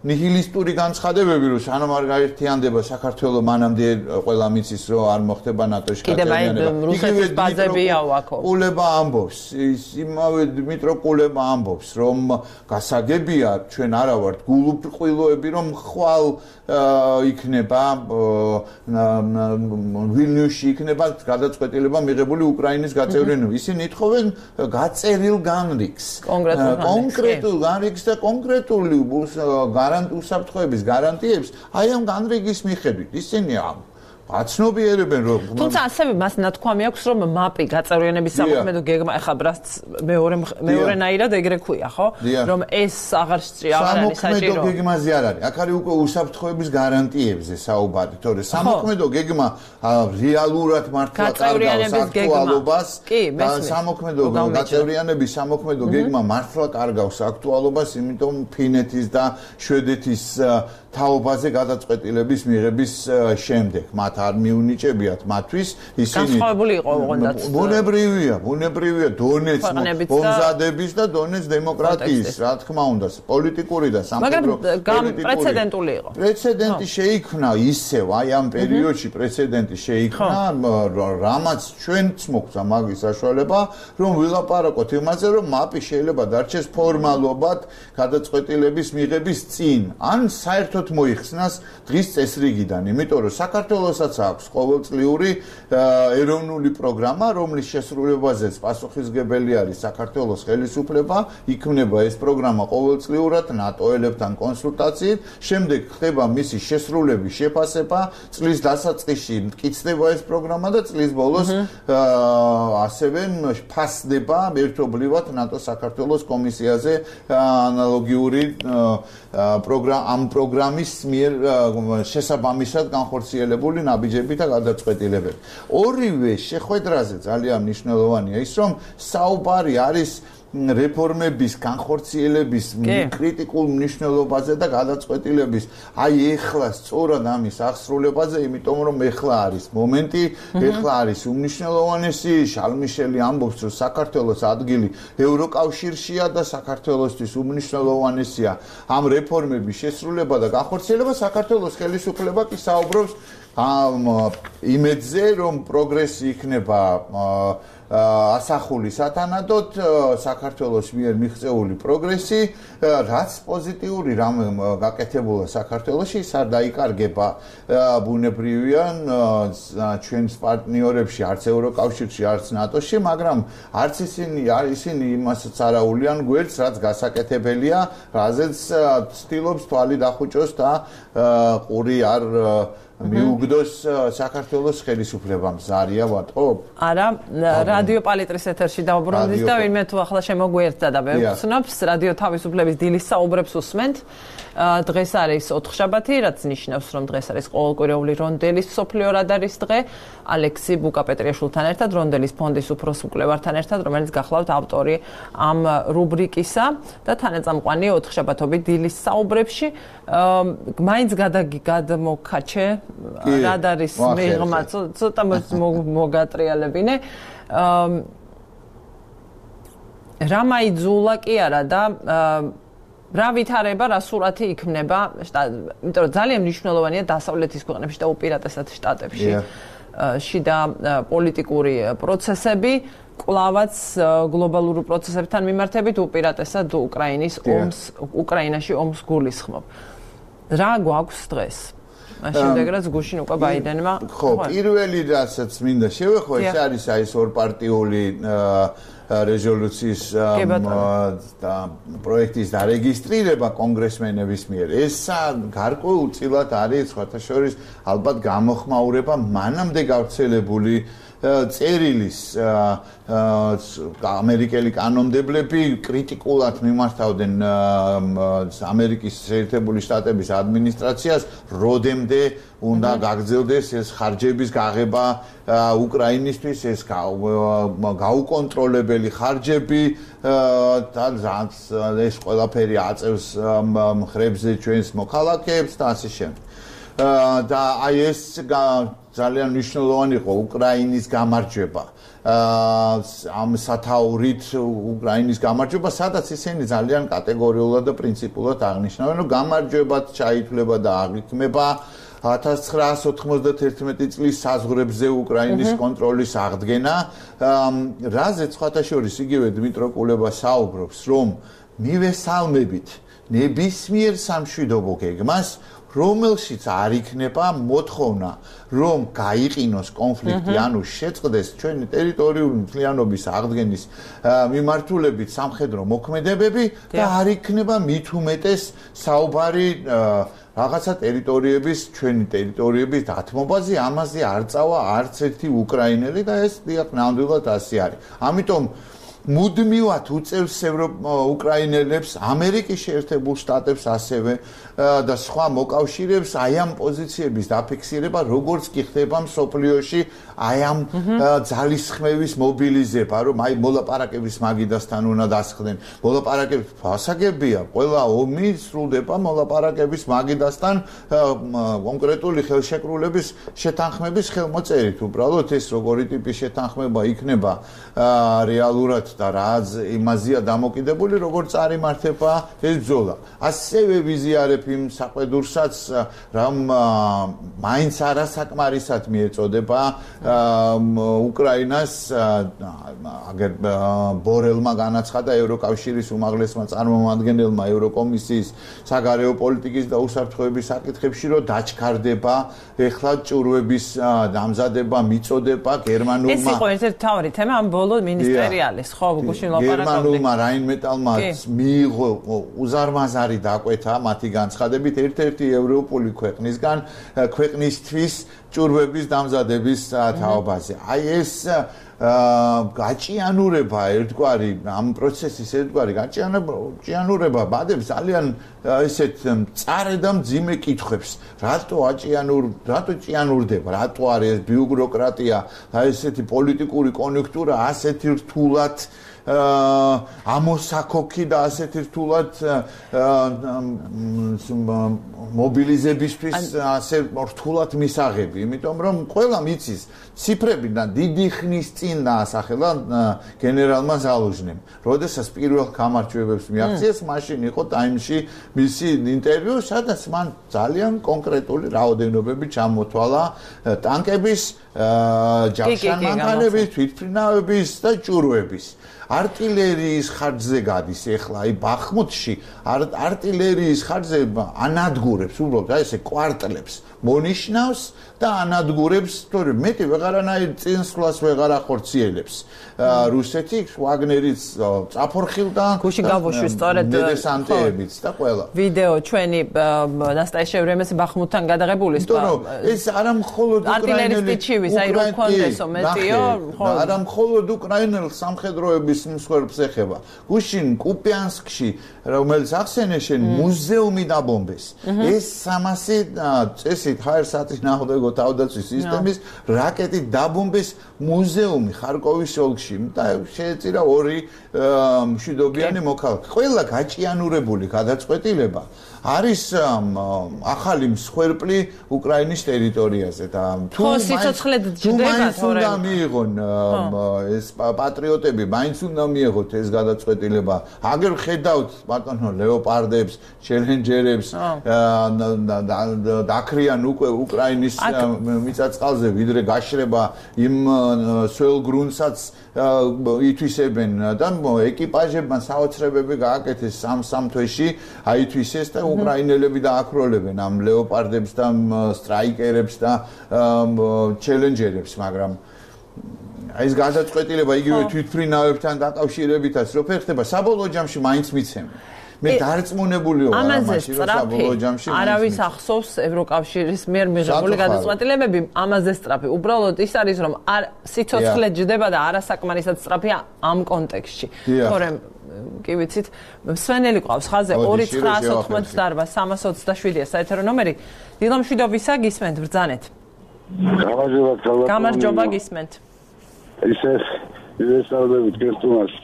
ნიჰილისტური განცხადებები, რომ სანამ არ გაერთიანდება საქართველო, მანამდე ყველა მიცის, რომ არ მოხდება ნატოში გაწევრიანება. რუსეთის ბაზებია ვაქო. კულება ამბობს, იმავე დმიტრო კულება ამბობს, რომ გასაგებია ჩვენ არა ვართ გულუბრყვილოები, რომ ხვალ იქნება ვილნიუსში იქნება გადაწყვეტილება მიღებული უკრაინის გაწევრიანება. ისინი ითხოვენ გაწერილ განრიგს. კონკრეტულ განრიგს და კონკრეტული უსაფრთხოების გარანტიებს აი ამ განრიგის მიხედვით ისინი ამ აცნობიერებენ რომ თუმცა ასევე მას ნათქვამი აქვს რომ მაპი გაწევრიანების სამოქმედო გეგმა ახლა ბრასც მეორე მეორენაირად ეგრე ქვია ხო რომ ეს აღარ აღარ არის საჭირო სამოქმედო გეგმაზე არ არის აქ არის უკვე უსაფრთხოების გარანტიებზე საუბარი თორე სამოქმედო გეგმა რეალურად მართლა კარგავს აქტუალობას და სამოქმედო გაწევრიანების სამოქმედო გეგმა მართლა კარგავს აქტუალობას იმიტომ ფინეთის და შვედეთის თაობაზე გადაწყვეტილების მიღების შემდეგ მათ არ მიუნიჭებიათ მათთვის ისინი განსხვავებული იყო ოღონდაც ბუნებრივია ბუნებრივია დონეც მომზადების და დონეც დემოკრატიის რა თქმა უნდა პოლიტიკური და სამხედრო მაგრამ პრეცედენტული იყო პრეცედენტი შეიქმნა ისევ აი ამ პერიოდში პრეცედენტი შეიქმნა რამაც ჩვენც მოგვცა მაგის საშუალება რომ ვილაპარაკოთ იმაზე რომ მაპი შეიძლება დარჩეს ფორმალობად გადაწყვეტილების მიღების წინ ან საერთოდ მოიხსნას დღის წესრიგიდან იმიტომ რომ საქართველოსაც აქვს ყოველწლიური ეროვნული პროგრამა რომლის შესრულებაზეც პასუხისმგებელი არის საქართველოს ხელისუფლება იქმნება ეს პროგრამა ყოველწლიურად ნატოელებთან კონსულტაციით შემდეგ ხდება მისი შესრულების შეფასება წლის დასაწყისში მტკიცდება ეს პროგრამა და წლის ბოლოს ასევე ფასდება ერთობლივად ნატო საქართველოს კომისიაზე ანალოგიური პროგრამა ამ პროგრამის მიერ შესაბამისად განხორციელებული ნაბიჯები და გადაწყვეტილებები. ორივე შეხვედრაზე ძალიან მნიშვნელოვანია ის, რომ საუბარი არის რეფორმების განხორციელების კრიტიკულ მნიშვნელობაზე და გადაწყვეტილების აი ეხლა სწორად ამის აღსრულებაზე, იმიტომ რომ ეხლა არის მომენტი, ეხლა არის უმნიშვნელოვანესი შალმიშელი ამბობს, რომ საქართველოს ადგილი ევროკავშირშია და საქართველოსთვის უმნიშვნელოვანესია ამ რეფორმების შესრულება და განხორციელება. საქართველოს ხელისუფლება კი საუბრობს ამ იმედზე, რომ პროგრესი იქნება ასახული სათანადოდ საქართველოს მიერ მიღწეული პროგრესი, რაც პოზიტიური რამ გაკეთებულა საქართველოში, ის არ დაიკარგება ბუნებრივია ჩვენს პარტნიორებში, არც ევროკავშირში, არც ნატოში, მაგრამ არც ისინი არ ისინი იმასაც არაულიან გვერდს, რაც გასაკეთებელია, რაზეც ცდილობს თვალი დახუჭოს და ყური არ მიუგდოს საქართველოს ხელისუფლებამ ზარია ვატყობ? არა, რა რადიო პალიტრის ეთერში დავბრუნდით და ვინმე თუ ახლა შემოგვიერთდა და ვეცნობს რადიო თავისუფლების დილის საუბრებს უსმენთ. დღეს არის ოთხშაბათი, რაც ნიშნავს, რომ დღეს არის ყოველკვირეული რონდელის მსოფლიო რადარის დღე. ალექსი ბუკაპეტრიაშვილთან ერთად, რონდელის ფონდის უფროს მკვლევართან ერთად, რომელიც გახლავთ ავტორი ამ რუბრიკისა და თანაწამყვანი ოთხშაბათობით დილის საუბრებში. მაინც გადმოგაჩე რადარის მიღმა ცოტა მოგატრიალებინე. რა მაიძულა კი არა და რა ვითარება, რა სურათი იქმნება, იმიტომ რომ ძალიან მნიშვნელოვანია დასავლეთის ქვეყნებში და უპირატესად შტატებში შიდა პოლიტიკური პროცესები, კვლავაც გლობალურ პროცესებთან მიმართებით უპირატესად უკრაინის ომს, უკრაინაში ომს გულისხმობ. რა გვაქვს დღეს? შემდეგ რაც გუშინ უკვე ბაიდენმა ხო, პირველი რასაც მინდა შევეხო, ეს არის აი ეს ორპარტიული რეზოლუციის და პროექტის დარეგისტრირება კონგრესმენების მიერ. ეს გარკვეულწილად არის სხვათა შორის ალბათ გამოხმაურება მანამდე გავრცელებული წერილის ამერიკელი კანონმდებლები კრიტიკულად მიმართავდნენ ამერიკის შეერთებული შტატების ადმინისტრაციას, როდემდე უნდა გაგრძელდეს ეს ხარჯების გაღება უკრაინისთვის, ეს გაუკონტროლებელი ხარჯები და ეს ყველაფერი აწევს მხრებზე ჩვენს მოქალაქეებს და ასე შემდეგ. და აი ეს ძალიან მნიშვნელოვანი იყო უკრაინის გამარჯვება. ამ სათაურით უკრაინის გამარჯვება, სადაც ისინი ძალიან კატეგორიულად და პრინციპულად აღნიშნავენ, რომ გამარჯვებად ჩაითვლება და აღიქმება ათას ცხრაასი ოთხმოცდათერთმეტი წლის საზღვრებზე უკრაინის კონტროლის აღდგენა, რაზეც სხვათა შორის იგივე დმიტრო კულება საუბრობს, რომ მივესალმებით ნებისმიერ სამშვიდობო გეგმას, რომელშიც არ იქნება მოთხოვნა, რომ გაიყინოს კონფლიქტი, ანუ შეწყდეს ჩვენი ტერიტორიული მთლიანობის აღდგენის მიმართულებით სამხედრო მოქმედებები და არ იქნება მით უმეტეს საუბარი რაღაცა ტერიტორიების, ჩვენი ტერიტორიების დათმობაზე, ამაზე არ წავა არც ერთი უკრაინელი და ეს დიახ ნამდვილად ასე არის. ამიტომ მუდმივად უწევს უკრაინელებს, ამერიკის შეერთებულ შტატებს ასევე და სხვა მოკავშირეებს აი ამ პოზიციების დაფიქსირება, როგორც კი ხდება მსოფლიოში აი ამ ძალისხმევის მობილიზება, რომ აი მოლაპარაკების მაგიდასთან უნდა დასხდნენ. მოლაპარაკების ფასაგებია, ყველა ომი სრულდება მოლაპარაკების მაგიდასთან კონკრეტული ხელშეკრულების შეთანხმების ხელმოწერით. უბრალოდ ეს როგორი ტიპის შეთანხმება იქნება რეალურად და რაც იმაზეა დამოკიდებული, როგორც წარიმართება ეს ბრძოლა. ასევე ვიზიარებ იმ საყვედურსაც, რომ მაინც არასაკმარისად მიეწოდება უკრაინას აგერ ბორელმა განაცხადა ევროკავშირის უმაღლესმა წარმომადგენელმა ევროკომისიის საგარეო პოლიტიკის და უსაფრთხოების საკითხებში, რომ დაჩქარდება ეხლა ჭურვების დამზადება, მიწოდება გერმანულმა. ეს იყო ერთ-ერთი მთავარი თემა ამ ბოლო მინისტერიალის, ხო, გუშინ ლაპარაკობდი. გერმანულმა რაინმეტალმა მიიღო უზარმაზარი დაკვეთა მათი განცხადებით ერთ-ერთი ევროპული ქვეყნისგან ქვეყნისთვის ჭურვების დამზადების თაობაზე. აი ეს გაჭიანურება ერთგვარი ამ პროცესის ერთგვარი გაჭიანურება ბადებს ძალიან ესეთ მწარე და მძიმე კითხვებს. რატო აჭიანურ, რატო ჭიანურდება, რატო არის ეს ბიუროკრატია და ესეთი პოლიტიკური კონიუნქტურა ასეთი რთულად ამოსაქოქი და ასეთი რთულად მობილიზებისთვის ასე რთულად მისაღები, იმიტომ რომ ყველა მიცის ციფრები და დიდი ხნის წინ დაასახელა გენერალმა ზალუჟნიმ. როდესაც პირველ გამარჯვებებს მიაღწიეს, მაშინ იყო ტაიმში მისი ინტერვიუ, სადაც მან ძალიან კონკრეტული რაოდენობები ჩამოთვალა ტანკების, ჯავშანმანქანების, თვითმფრინავების და ჭურვების. артиллерიის ხარჯზე გადის ეხლა აი ბახმუთში артиллерიის ხარჯზე ანადგურებს უბრალოდ აი ესე კვარტლებს მონიშნავს და ანადგურებს თორემ მეტი ვეღარანაირ წინსვლას ვეღარ ახორციელებს რუსეთი ვაგნერიც წაფორხილდა გუში გავუშვი სწორედ დესანტებიც და ყველა ვიდეო ჩვენი ნასტაიშე ვრემეს ბახმუთთან გადაღებული ეს არა მხოლოდ არტილერისტი ჩივის აი რო კონდესო მეტიო არა მხოლოდ უკრაინელ სამხედროების მსხვერპლს ეხება გუშინ კუპიანსკში რომელიც ახსენე შენ მუზეუმი დაბომბეს ეს სამასი წესით ჰაერსაწინააღმდეგო თავდაცვის სისტემის რაკეტით დაბომბეს მუზეუმი ხარკოვის ოლქში და შეეწირა ორი მშვიდობიანი მოქალაქე ყველა გაჭიანურებული გადაწყვეტილება არის ახალი მსხვერპლი უკრაინის ტერიტორიაზე და თუ სიცოცხლე ჯდება თორემ უნდა მიიღონ ეს პატრიოტები მაინც უნდა მიიღოთ ეს გადაწყვეტილება აგერ ხედავთ ბატონო ლეოპარდებს ჩელენჯერებს დაქრიან უკვე უკრაინის მიწა-წყალზე ვიდრე გაშრება იმ სველ გრუნტსაც ითვისებენ და ეკიპაჟებმა საოცრებები გააკეთეს სამ-სამ თვეში აითვისეს და უკრაინელები დააქროლებენ ამ ლეოპარდებს და სტრაიკერებს და ჩელენჯერებს მაგრამ აი ეს გადაწყვეტილება იგივე თვითმფრინავებთან დაკავშირებითაც რო ფერხდება საბოლოო ჯამში მაინც მიცემენ მე დარწმუნებული ვარ ამაზე საბოლოო ჯამში არავის ახსოვს ევროკავშირის მიერ მიღებული გადაწყვეტილებები ამაზე სწრაფი უბრალოდ ის არის რომ სიცოცხლე ჯდება და არასაკმარისად სწრაფია ამ კონტექსტში თორემ კი ვიცით მსვენელი ყავს ხაზე ორი ცხრაას ოთხმოცდაარბა სამას ოცდაშვიდია საეთერო ნომერი დილა მშვიდობისა გისმენთ ბრძანეთ გამარჯობა გისმენთ ისე ისესავდებით გესტუმარს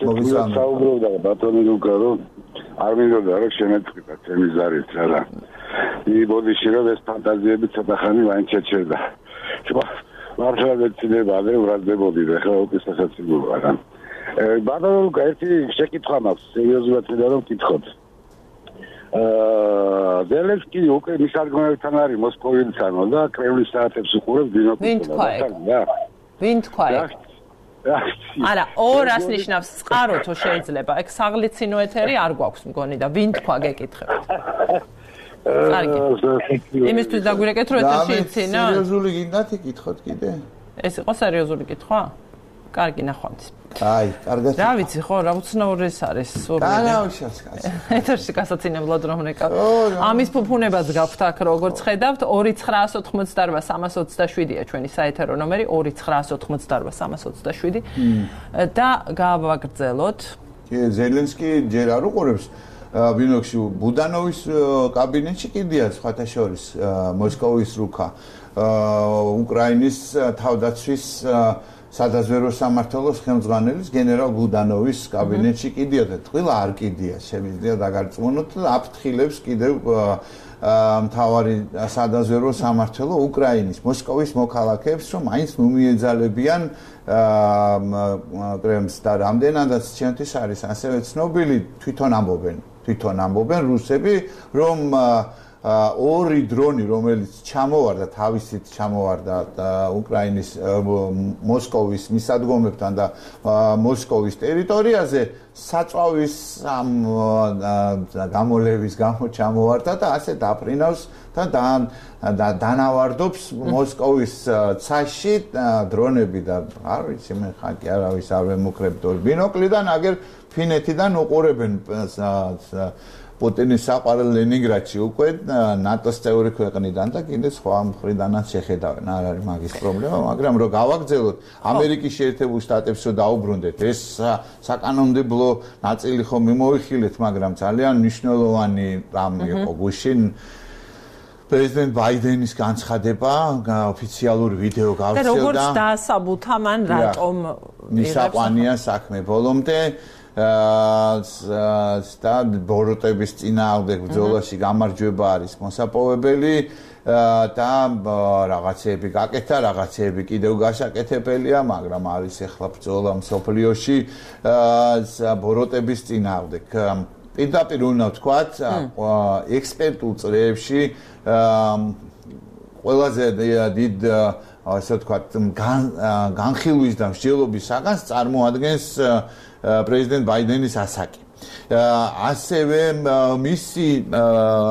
საუბრობდა ბატონი ლუკა რომ არ მინდოდა რომ შემეწყვიტა ჩემი ზარით რა იბოდიში რომ ეს ფანტაზიები ცოტა ხანი მაინც შეჩერდა მართლა მეცნიერება ადრე ვრაზდებოდი და ხა უკეთესად სიგურია რა ბატონო ლუკა ერთი შეკითხვა მაქვს სერიოზულად მინდა რომ ვკითხოთ აა ზელენსკი უკვე მის არგუმენტებთან არის მოსკოვიდან და კრემლის საათებს უყურებს ბინოკლს ვინ თქვა არა ორას ნიშნავს წყარო თუ შეიძლება ეგ საღლიცინო ეთერი არ გვაქვს მგონი და ვინ თქვა გეკითხებთ კარგი იმისთვის დაგვირეკეთ რომ ეთერში იცინო სერიოზული გინდათ იკითხოთ კიდე ეს იყო სერიოზული კითხვა კარგი ნახვამდის აი კარგად რა ვიცი ხო რა უცნაური ეს არის სურვილი ეთერში გასაცინებლად რომ რეკავ ამის ფუფუნებას გაქვთ აქ როგორც ხედავთ ორი ცხრაას ოთხმოცდაარბა სამას ოცდაშვიდია ჩვენი საეთერო ნომერი ორი ცხრაას ოთხმოცდაარბა სამას ოცდაშვიდი და გავაგრძელოთ ზელენსკი ჯერ არ უყურებს ბინოქში ბუდანოვის კაბინეტში კიდია სხვათა შორის მოსკოვის რუკა უკრაინის თავდაცვის სადაზვერო სამმართველოს ხელმძღვანელის გენერალ ბუდანოვის კაბინეტში კიდია და თვილა არ კიდია შემიძლია დაგარწმუნოთ და აფრთხილებს კიდევ მთავარი სადაზვერო სამმართველო უკრაინის მოსკოვის მოქალაქეებს რომ მაინც მომიეძალებიან კრემლს და რამდენადაც ჩემთვის არის ასევე ცნობილი თვითონ ამბობენ თვითონ ამბობენ რუსები რომ ორი დრონი რომელიც ჩამოვარდა თავისით ჩამოვარდა უკრაინის მოსკოვის მისადგომებთან და მოსკოვის ტერიტორიაზე საწვავის გამოლევის გამო ჩამოვარდა და ასე დაფრინავს და დანავარდობს მოსკოვის ცაში დრონები და არ ვიცი მე ხაკი არავის არ ვემუქრებდო ბინოკლიდან აგერ ფინეთიდან უყურებენ პუტინის საყვარელ ლენინგრადში უკვე ნატოს წევრი ქვეყნიდან და კიდე სხვა მხრიდანაც შეხედავენ არ არის მაგის პრობლემა მაგრამ რომ გავაგრძელოთ ამერიკის შეერთებულ შტატებს რომ დაუბრუნდეთ ეს საკანონმდებლო ნაწილი ხომ მიმოიხილეთ მაგრამ ძალიან მნიშვნელოვანი რამ იყო გუშინ პრეზიდენტ ბაიდენის განცხადება ოფიციალური ვიდეო გავცელდა და როგორც დაასაბუთა მან რატომ მისაყვანია საქმე ბოლომდე და ბოროტების წინააღმდეგ ბრძოლაში გამარჯვება არის მოსაპოვებელი და რაღაცეები გაკეთა, რაღაცეები კიდევ გასაკეთებელია, მაგრამ არის ახლა ბრძოლა მსოფლიოში ბოროტების წინააღმდეგ. პირდაპირ უნდა ვთქვათ, ექსპერტულ წრეებში ყველაზე დიდ ასე ვთქვათ განხილვის და მსჯელობის საგანს წარმოადგენს პრეზიდენტ ბაიდენის ასაკი. ასევე მისი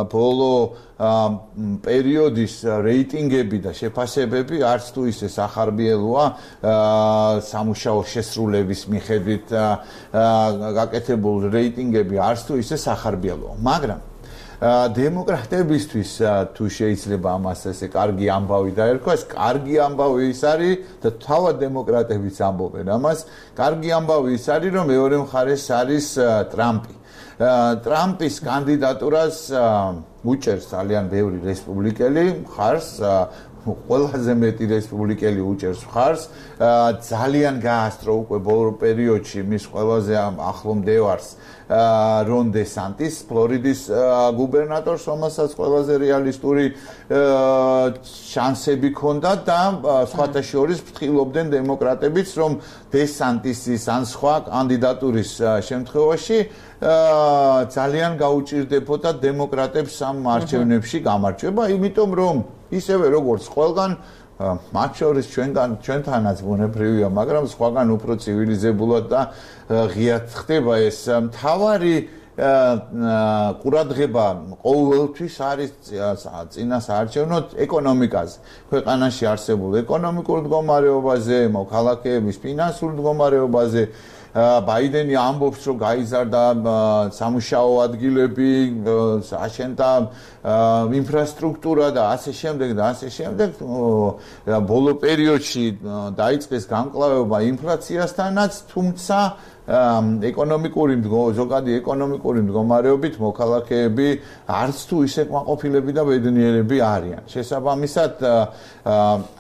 ბოლო პერიოდის რეიტინგები და შეფასებები არც თუ ისე სახარბიელოა სამუშაო შესრულების მიხედვით გაკეთებულ რეიტინგები არც თუ ისე სახარბიელოა, მაგრამ დემოკრატებისთვის თუ შეიძლება ამას ესე კარგი ამბავი დაერქვას, კარგი ამბავი ის არის და თავად დემოკრატებიც ამბობენ ამას, კარგი ამბავი ის არის, რომ მეორე მხარეს არის ტრამპი. ტრამპის კანდიდატურას უჭერს ძალიან ბევრი რესპუბლიკელი მხარს, ყველაზე მეტი რესპუბლიკელი უჭერს მხარს, ძალიან გაასწრო უკვე ბოლო პერიოდში მის ყველაზე ახლო მდევარს რონ დე სანტის, ფლორიდის გუბერნატორს, რომელსაც ყველაზე რეალისტური შანსები ჰქონდა და სხვათა შორის ფრთხილობდნენ დემოკრატებიც, რომ დე სანტისის ან სხვა კანდიდატურის შემთხვევაში ძალიან გაუჭირდებოდა დემოკრატებს ამ არჩევნებში გამარჯვება, იმიტომ რომ ისევე როგორც ყველგან მათ შორის ჩვენგან ჩვენთანაც ბუნებრივია, მაგრამ სხვაგან უფრო ცივილიზებულად და ღიად ხდება ეს. მთავარი ყურადღება ყოველთვის არის წინასაარჩევნოდ ეკონომიკაზე, ქვეყანაში არსებულ ეკონომიკურ მდგომარეობაზე, მოქალაქეების ფინანსურ მდგომარეობაზე. ბაიდენი ამბობს, რომ გაიზარდა სამუშაო ადგილები, აშენდა ინფრასტრუქტურა და ასე შემდეგ და ასე შემდეგ. ბოლო პერიოდში დაიწყეს გამკლავება ინფლაციასთანაც, თუმცა ეკონომიკური ზოგადი ეკონომიკური მდგომარეობით მოქალაქეები არც თუ ისე კმაყოფილები და ბედნიერები არიან. შესაბამისად,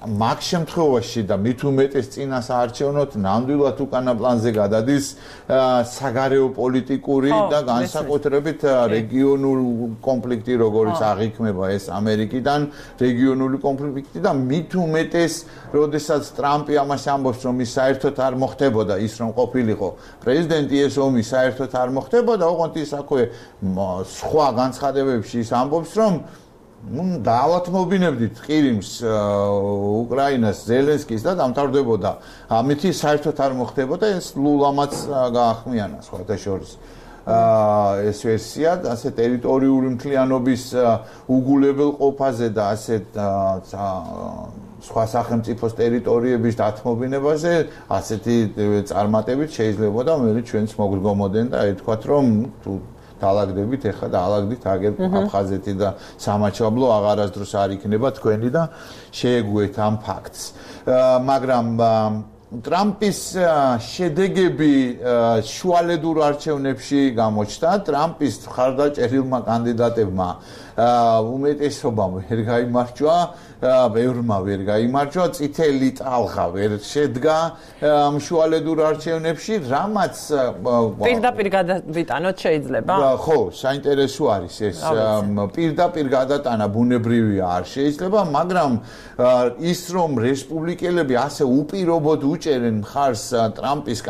მაგ შემთხვევაში და მით უმეტეს წინასაარჩევნოდ ნამდვილად უკანა პლანზე გადადის საგარეო პოლიტიკური და განსაკუთრებით რეგიონულ კონფლიქტი, როგორც აღიქმება ეს ამერიკიდან, რეგიონული კონფლიქტი და მით უმეტეს, როდესაც ტრამპი ამას ამბობს, რომ ის საერთოდ არ მოხდებოდა ის, რომ ყოფილიყო პრეზიდენტი, ეს ომი საერთოდ არ მოხდებოდა, ოღონდ ის აქვე სხვა განცხადებებში ის ამბობს, რომ დაავადმობინებდით ყირიმს, უკრაინას, ზელენსკის და დამთავრდებოდა. ამით საერთოდ არ მოხდებოდა, ეს ლულამაც გაახმიანა სხვათა შორის. ეს ვერსია, ასე ტერიტორიული მთლიანობის უგულებელყოფაზე და ასე სხვა სახელმწიფოს ტერიტორიების დათმობინებაზე ასეთი წარმატებით შეიძლება და მე ჩვენც მოგდგომოდენ და ეთქვათ, რომ თუ დაალაგდებით, ეხლა დაალაგდით აგერ აფხაზეთი და სამაჩაბლო აღარასდროს არ იქნება თქვენი და შეეგუეთ ამ ფაქტს. მაგრამ ტრამპის შედეგები შუალედურ არჩევნებში გამოჩნდა. ტრამპის მხარდაჭერილმა კანდიდატებმა უმეტესობამ ვერ გაიმარჯვა, ბევრმა ვერ გაიმარჯვა, წითელი ტალღა ვერ შედგა შუალედურ არჩევნებში, რამაც პირდაპირ გადავიტანოთ შეიძლება? ხო, საინტერესო არის ეს. პირდაპირ გადატანა ბუნებრივია არ შეიძლება, მაგრამ ის რომ რესპუბლიკელები ასე უპირობოდ უჭერენ მხარს ტრამპის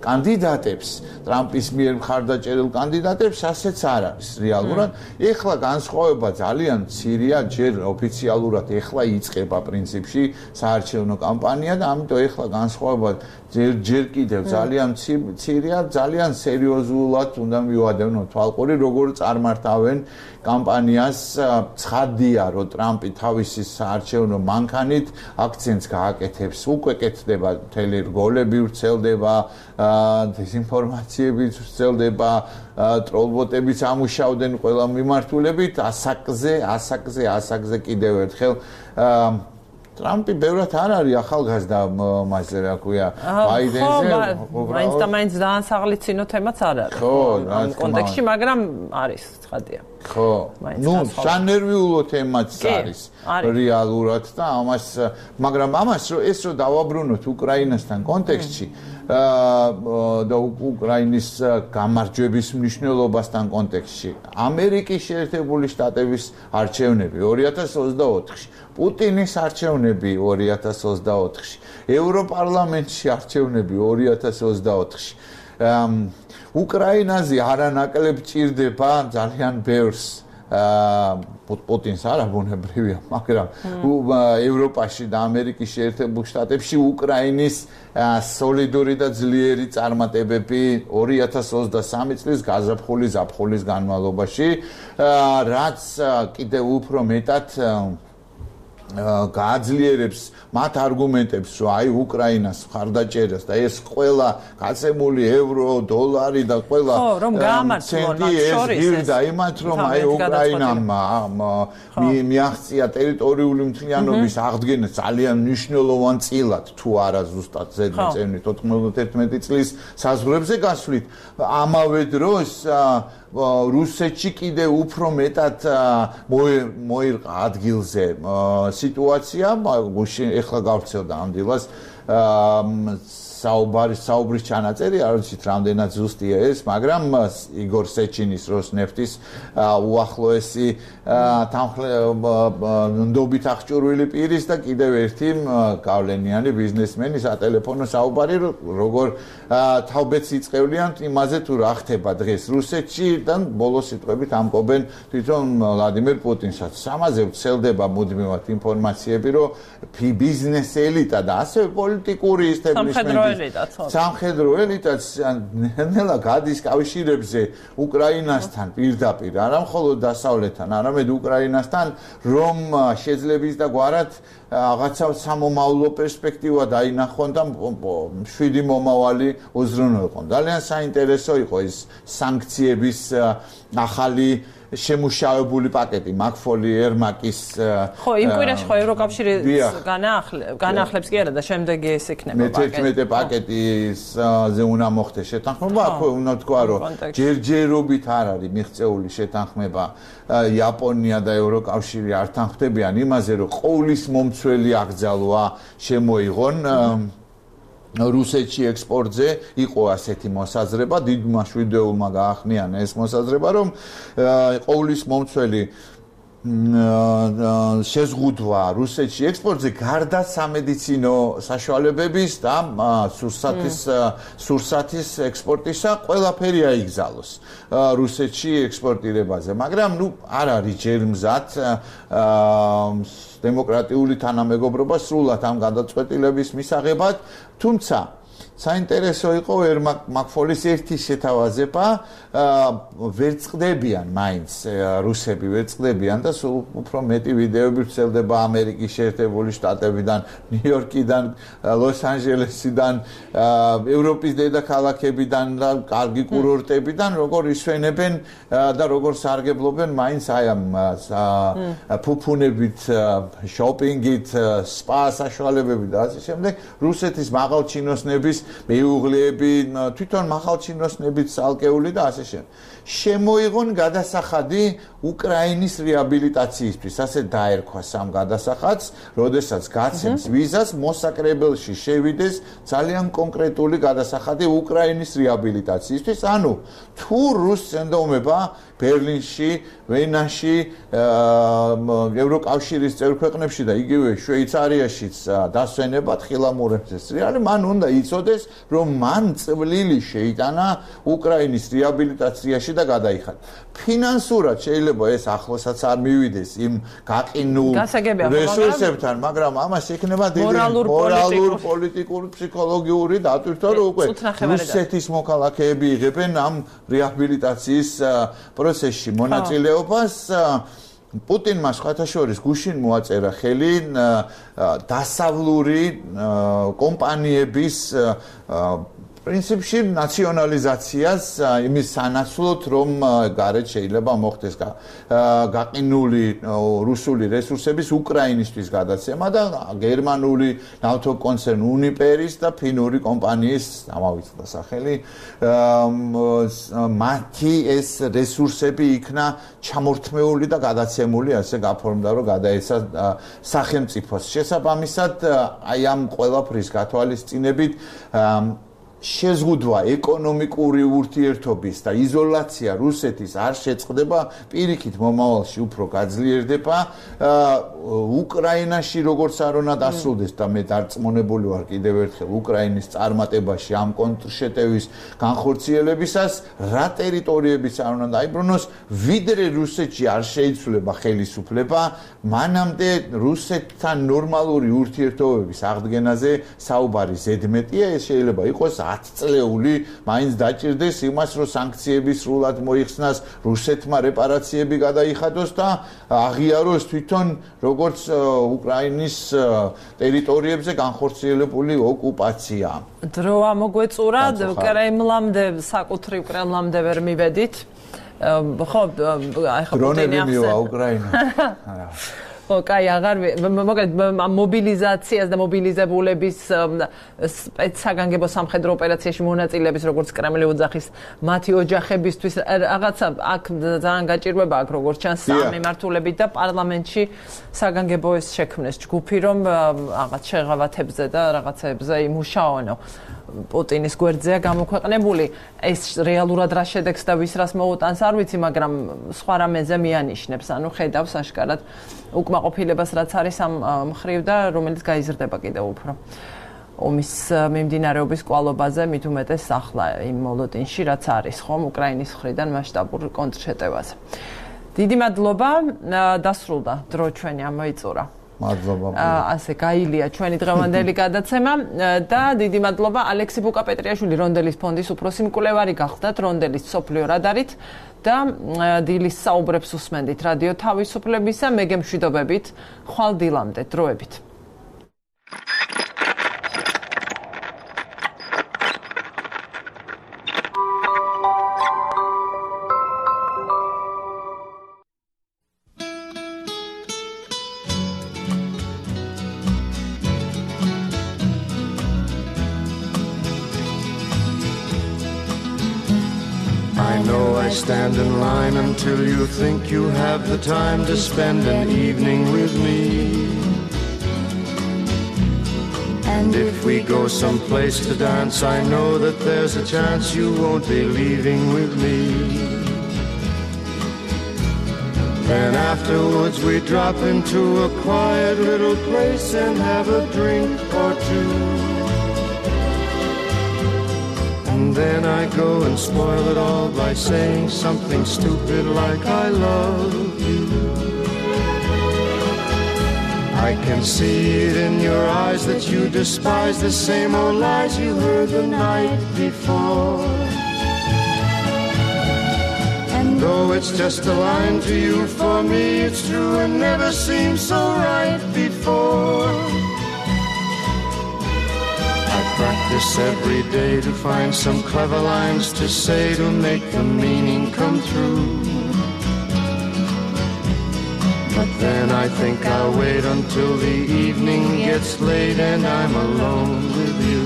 კანდიდატებს, ტრამპის მიერ მხარდაჭერილ კანდიდატებს, ასეც არ არის რეალურად. ეხლა განსხვავება ძალიან მცირეა, ჯერ ოფიციალურად ეხლა იწყება პრინციპში საარჩევნო კამპანია და ამიტომ ეხლა განსხვავება ჯერ ჯერ კიდევ ძალიან მცირეა, ძალიან სერიოზულად უნდა მივადევნოთ თვალყური, როგორ წარმართავენ კამპანიას. ცხადია, რომ ტრამპი თავისი საარჩევნო მანქანით აქცენტს გააკეთებს, უკვე კეთდება მთელი რგოლები ვრცელდება, დეზინფორმაციები ვრცელდება, ტროლბოტებიც ამუშავდნენ ყველა მიმართულებით, ასაკზე, ასაკზე, ასაკზე კიდევ ერთხელ ტრამპი ბევრად არ არის ახალგაზრდა მასე რა ქვია ბაიდენზე მაინც და მაინც დაანსაღლიცინო თემაც არ არის ხო ამ კონტექსტში მაგრამ არის ცხადია ხო ნუ სანერვიულო თემაც არის რეალურად და ამას მაგრამ ამას ეს რო დავაბრუნოთ უკრაინასთან კონტექსტში და უკრაინის გამარჯვების მნიშვნელობასთან კონტექსტში ამერიკის შეერთებული შტატების არჩევნები ორი ათას ოცდაოთხში პუტინის არჩევნები ორი ათას ოცდაოთხში ევროპარლამენტში არჩევნები ორი ათას ოცდაოთხში უკრაინაზე არანაკლებ ჭირდება ძალიან ბევრს პუტინს არა ბუნებრივია, მაგრამ ევროპაში და ამერიკის შეერთებულ შტატებში უკრაინის სოლიდური და ძლიერი წარმატებები ორი ათას ოცდასამი წლის გაზაფხულის ზაფხულის განმავლობაში, რაც კიდევ უფრო მეტად გააძლიერებს მათ არგუმენტებს, რომ აი უკრაინას მხარდაჭერას და ეს ყველა გაცემული ევრო, დოლარი და ყველა ცენტი ეს გირდა იმათ, რომ აი უკრაინამ მიაღწია ტერიტორიული მთლიანობის აღდგენა ძალიან მნიშვნელოვან წილად, თუ არა ზუსტად ზედმიწევნით თოთხმეტმეტი წლის საზღვრებზე გასვლით. ამავე დროს რუსეთში კიდე უფრო მეტად მოირყა ადგილზე სიტუაცია, გუშინ ეხლა გავცელდა ამ დილას საუბარი საუბრის ჩანაწერი, არ ვიცით რამდენად ზუსტია ეს, მაგრამ იგორ სეჩინის როსნეფტის უახლოესი თანხმდობით აღჭურვილი პირის და კიდევ ერთი გავლენიანი ბიზნესმენი სატელეფონო საუბარი, როგორ თავბეთს იწყევლიან იმაზე თუ რა ხდება დღეს რუსეთში და ბოლოს სიტყვებით ამკობენ თვითონ ვლადიმერ პუტინსაც. ამაზე ვრცელდება მუდმივად ინფორმაციები, რომ ბიზნეს ელიტა და ასევე პოლიტიკური ისტებლიშმენტი სამხედრო ელიტაც ნელა გადის კავშირებზე უკრაინასთან პირდაპირ, არა მხოლოდ დასავლეთთან, არამედ უკრაინასთან, რომ შეძლებს და გვარად რაღაცა სამომავლო პერსპექტივა დაინახონ და შვიდი მომავალი უზრუნველყონ. ძალიან საინტერესო იყო ეს სანქციების ახალი შემუშავებული პაკეტი მაკფოლი ერმაკის ხო იმ კვირაში ხო ევროკავშირი განახლებს კი არა და შემდეგი ეს იქნება პაკეტი მეთერთმეტე პაკეტიზე უნდა მოხდეს შეთანხმება ხო უნდა თქვა რომ ჯერჯერობით არ არის მიღწეული შეთანხმება იაპონია და ევროკავშირი არ თანხმდებიან იმაზე რომ ყოვლის მომცველი აკრძალვა შემოიღონ რუსეთში ექსპორტზე იყო ასეთი მოსაზრება, დიდმა შვიდეულმა გაახმიანა ეს მოსაზრება, რომ ყოვლის მომცველი შეზღუდვა რუსეთში ექსპორტზე გარდა სამედიცინო საშუალებების და სურსათის სურსათის ექსპორტისა ყველაფერი აიგზალოს რუსეთში ექსპორტირებაზე, მაგრამ ნუ არ არის ჯერმზად დემოკრატიული თანამეგობრობა სრულად ამ გადაწყვეტილების მისაღებად, თუმცა საინტერესო იყო ერმაკ მაკფოლის ერთი შეთავაზება, ვერ წყდებიან მაინც რუსები ვერ წყდებიან და სულ უფრო მეტი ვიდეოები ვრცელდება ამერიკის შეერთებული შტატებიდან, ნიუ-იორკიდან, ლოს-ანჯელესიდან, ევროპის დედაქალაქებიდან და კარგი კურორტებიდან, როგორ ისვენებენ და როგორ სარგებლობენ მაინც აი ამ ფუფუნებით, შოპინგით, სპა საშუალებებით და ასე შემდეგ, რუსეთის მაღალჩინოსნების მეუღლეები, თვითონ მაღალჩინოსნებით ალკეული და ასე შემდეგ. შემოიღონ გადასახადი უკრაინის რეაბილიტაციისთვის, ასე დაერქვა სამ გადასახადს, როდესაც გაცემს ვიზას, მოსაკრებელში შევიდეს ძალიან კონკრეტული გადასახადი უკრაინის რეაბილიტაციისთვის, ანუ თუ რუს წენდომება ბერლინში, ვენაში, ევროკავშირის წევრ ქვეყნებში და იგივე შვეიცარიაშიც დასვენებად ხილამურებს ეს რეალი, მან უნდა იცოდეს, რომ მან წვლილი შეიტანა უკრაინის რეაბილიტაციაში და გადაიხადა. ფინანსურად შეიძლება ეს ახლოსაც არ მივიდეს იმ გაყინულ რესურსებთან, მაგრამ ამას იქნება დიდი მორალურ, პოლიტიკურ, ფსიქოლოგიური დატვირთვა, რომ უკვე რუსეთის მოქალაქეები იღებენ ამ რეაბილიტაციის პროცესში მონაწილეობას. პუტინმა სხვათა შორის გუშინ მოაწერა ხელი დასავლური კომპანიების პრინციპში ნაციონალიზაციას იმის სანაცვლოდ, რომ გარეთ შეიძლება მოხდეს გაყინული რუსული რესურსების უკრაინისთვის გადაცემა და გერმანული ნავთობკონცერნ უნიპერის და ფინური კომპანიის ამავიწყდა სახელი მათი ეს რესურსები იქნა ჩამორთმეული და გადაცემული, ასე გაფორმდა, რომ გადაეცა სახელმწიფოს. შესაბამისად, აი ამ ყველაფრის გათვალისწინებით შეზღუდვა ეკონომიკური ურთიერთობის და იზოლაცია რუსეთის არ შეწყდება, პირიქით მომავალში უფრო გაძლიერდება. უკრაინაში როგორც არ უნდა დასრულდეს და მე დარწმუნებული ვარ კიდევ ერთხელ უკრაინის წარმატებაში ამ კონტრშეტევის განხორციელებისას, რა ტერიტორიებიც არ უნდა დაიბრუნოს, ვიდრე რუსეთში არ შეიცვლება ხელისუფლება, მანამდე რუსეთთან ნორმალური ურთიერთობების აღდგენაზე საუბარი ზედმეტია, ეს შეიძლება იყოს ათწლეული, მაინც დაჭირდეს იმას, რომ სანქციები სრულად მოიხსნას, რუსეთმა რეპარაციები გადაიხადოს და აღიაროს თვითონ როგორც უკრაინის ტერიტორიებზე განხორციელებული ოკუპაცია. დრო ამოგვეწურა, კრემლამდე, საკუთრივ კრემლამდე ვერ მივედით. ხო, აი ხო დრონები მივა უკრაინა. ხო, კაი, აღარ მოგეთ მობილიზაციას და მობილიზებულების სპეცსაგანგებო სამხედრო ოპერაციაში მონაწილეების როგორც კრემლი ოძახის მათი ოჯახებისთვის რაღაცა აქ ძალიან გაჭირვება აქ როგორც ჩანს სამემართულებით და პარლამენტში საგანგებოების შექმნეს ჯგუფი რომ რაღაც შეღავათებზე და რაღაცებზე იმუშაონო. პუტინის გვერდზეა გამოქვეყნებული. ეს რეალურად რა შედეგს და ვის რას მოუტანს არ ვიცი, მაგრამ სხვა რამეზე მიანიშნებს. ანუ ხედავს აშკარად უკმაყოფილებას რაც არის ამ მხრივ და რომელიც გაიზრდება კიდევ უფრო. ომის მიმდინარეობის კვალობაზე მით უმეტეს ახლა იმ მოლოდინში რაც არის ხომ უკრაინის მხრიდან მასშტაბურ კონტრშეტევაზე. დიდი მადლობა, დასრულდა დრო ჩვენი ამოიწურა. მადლობა. ასე გაილია ჩვენი დღევანდელი გადაცემა და დიდი მადლობა ალექსი ბუკაპეტრიაშვილი რონდელის ფონდის უფროსი მკვლევარი გახდათ რონდელის სოფლიო რადარით და დილის საუბრებს უსმენდით რადიო თავისუფლებისა მე გემშვიდობებით ხვალ დილამდე დროებით. Stand in line until you think you have the time to spend an evening with me. And if we go someplace to dance, I know that there's a chance you won't be leaving with me. Then afterwards we drop into a quiet little place and have a drink or two. And then I go and spoil it all by saying something stupid like I love you. I can see it in your eyes that you despise the same old lies you heard the night before. And though it's just a line to you, for me it's true and never seemed so right before. Practice every day to find some clever lines to say to make the meaning come through. But then I think I'll wait until the evening gets late and I'm alone with you.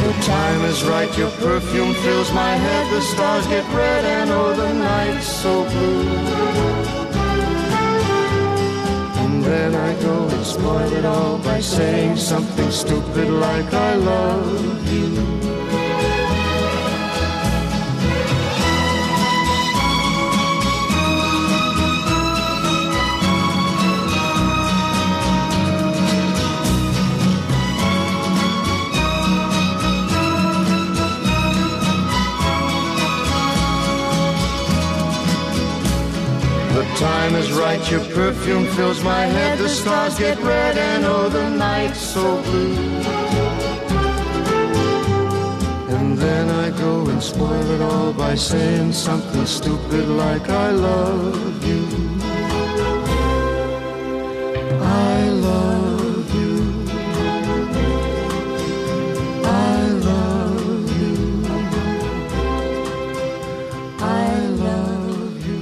The time is right, your perfume fills my head, the stars get red and oh the night's so blue. Then I go and spoil it all by saying something stupid like I love you. The time is right, your perfume fills my head, the stars get red and oh the night's so blue. And then I go and spoil it all by saying something stupid like I love you. I love you. I love you. I love you.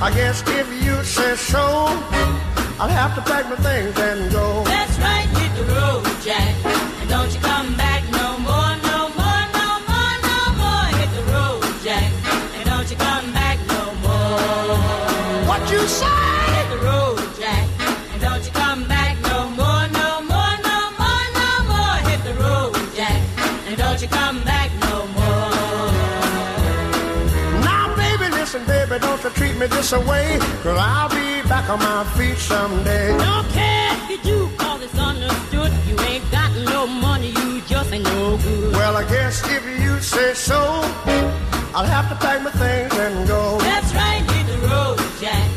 I guess if you say so, I'll have to pack my things and go. That's right, hit the road, Jack. And don't you come back no more, no more, no more, no more. Hit the road, Jack. And don't you come back no more. What you say? Hit the road, Jack. And don't you come back no more, no more, no more, no more. Hit the road, Jack. And don't you come back no more. Now, baby, listen, baby, don't you treat me this away, 'cause I'll be back on my feet someday. Don't care if you do, cause it's understood. You ain't got no money, you just ain't no good. Well, I guess if you say so, I'll have to pack my things and go. That's right, hit the road, Jack.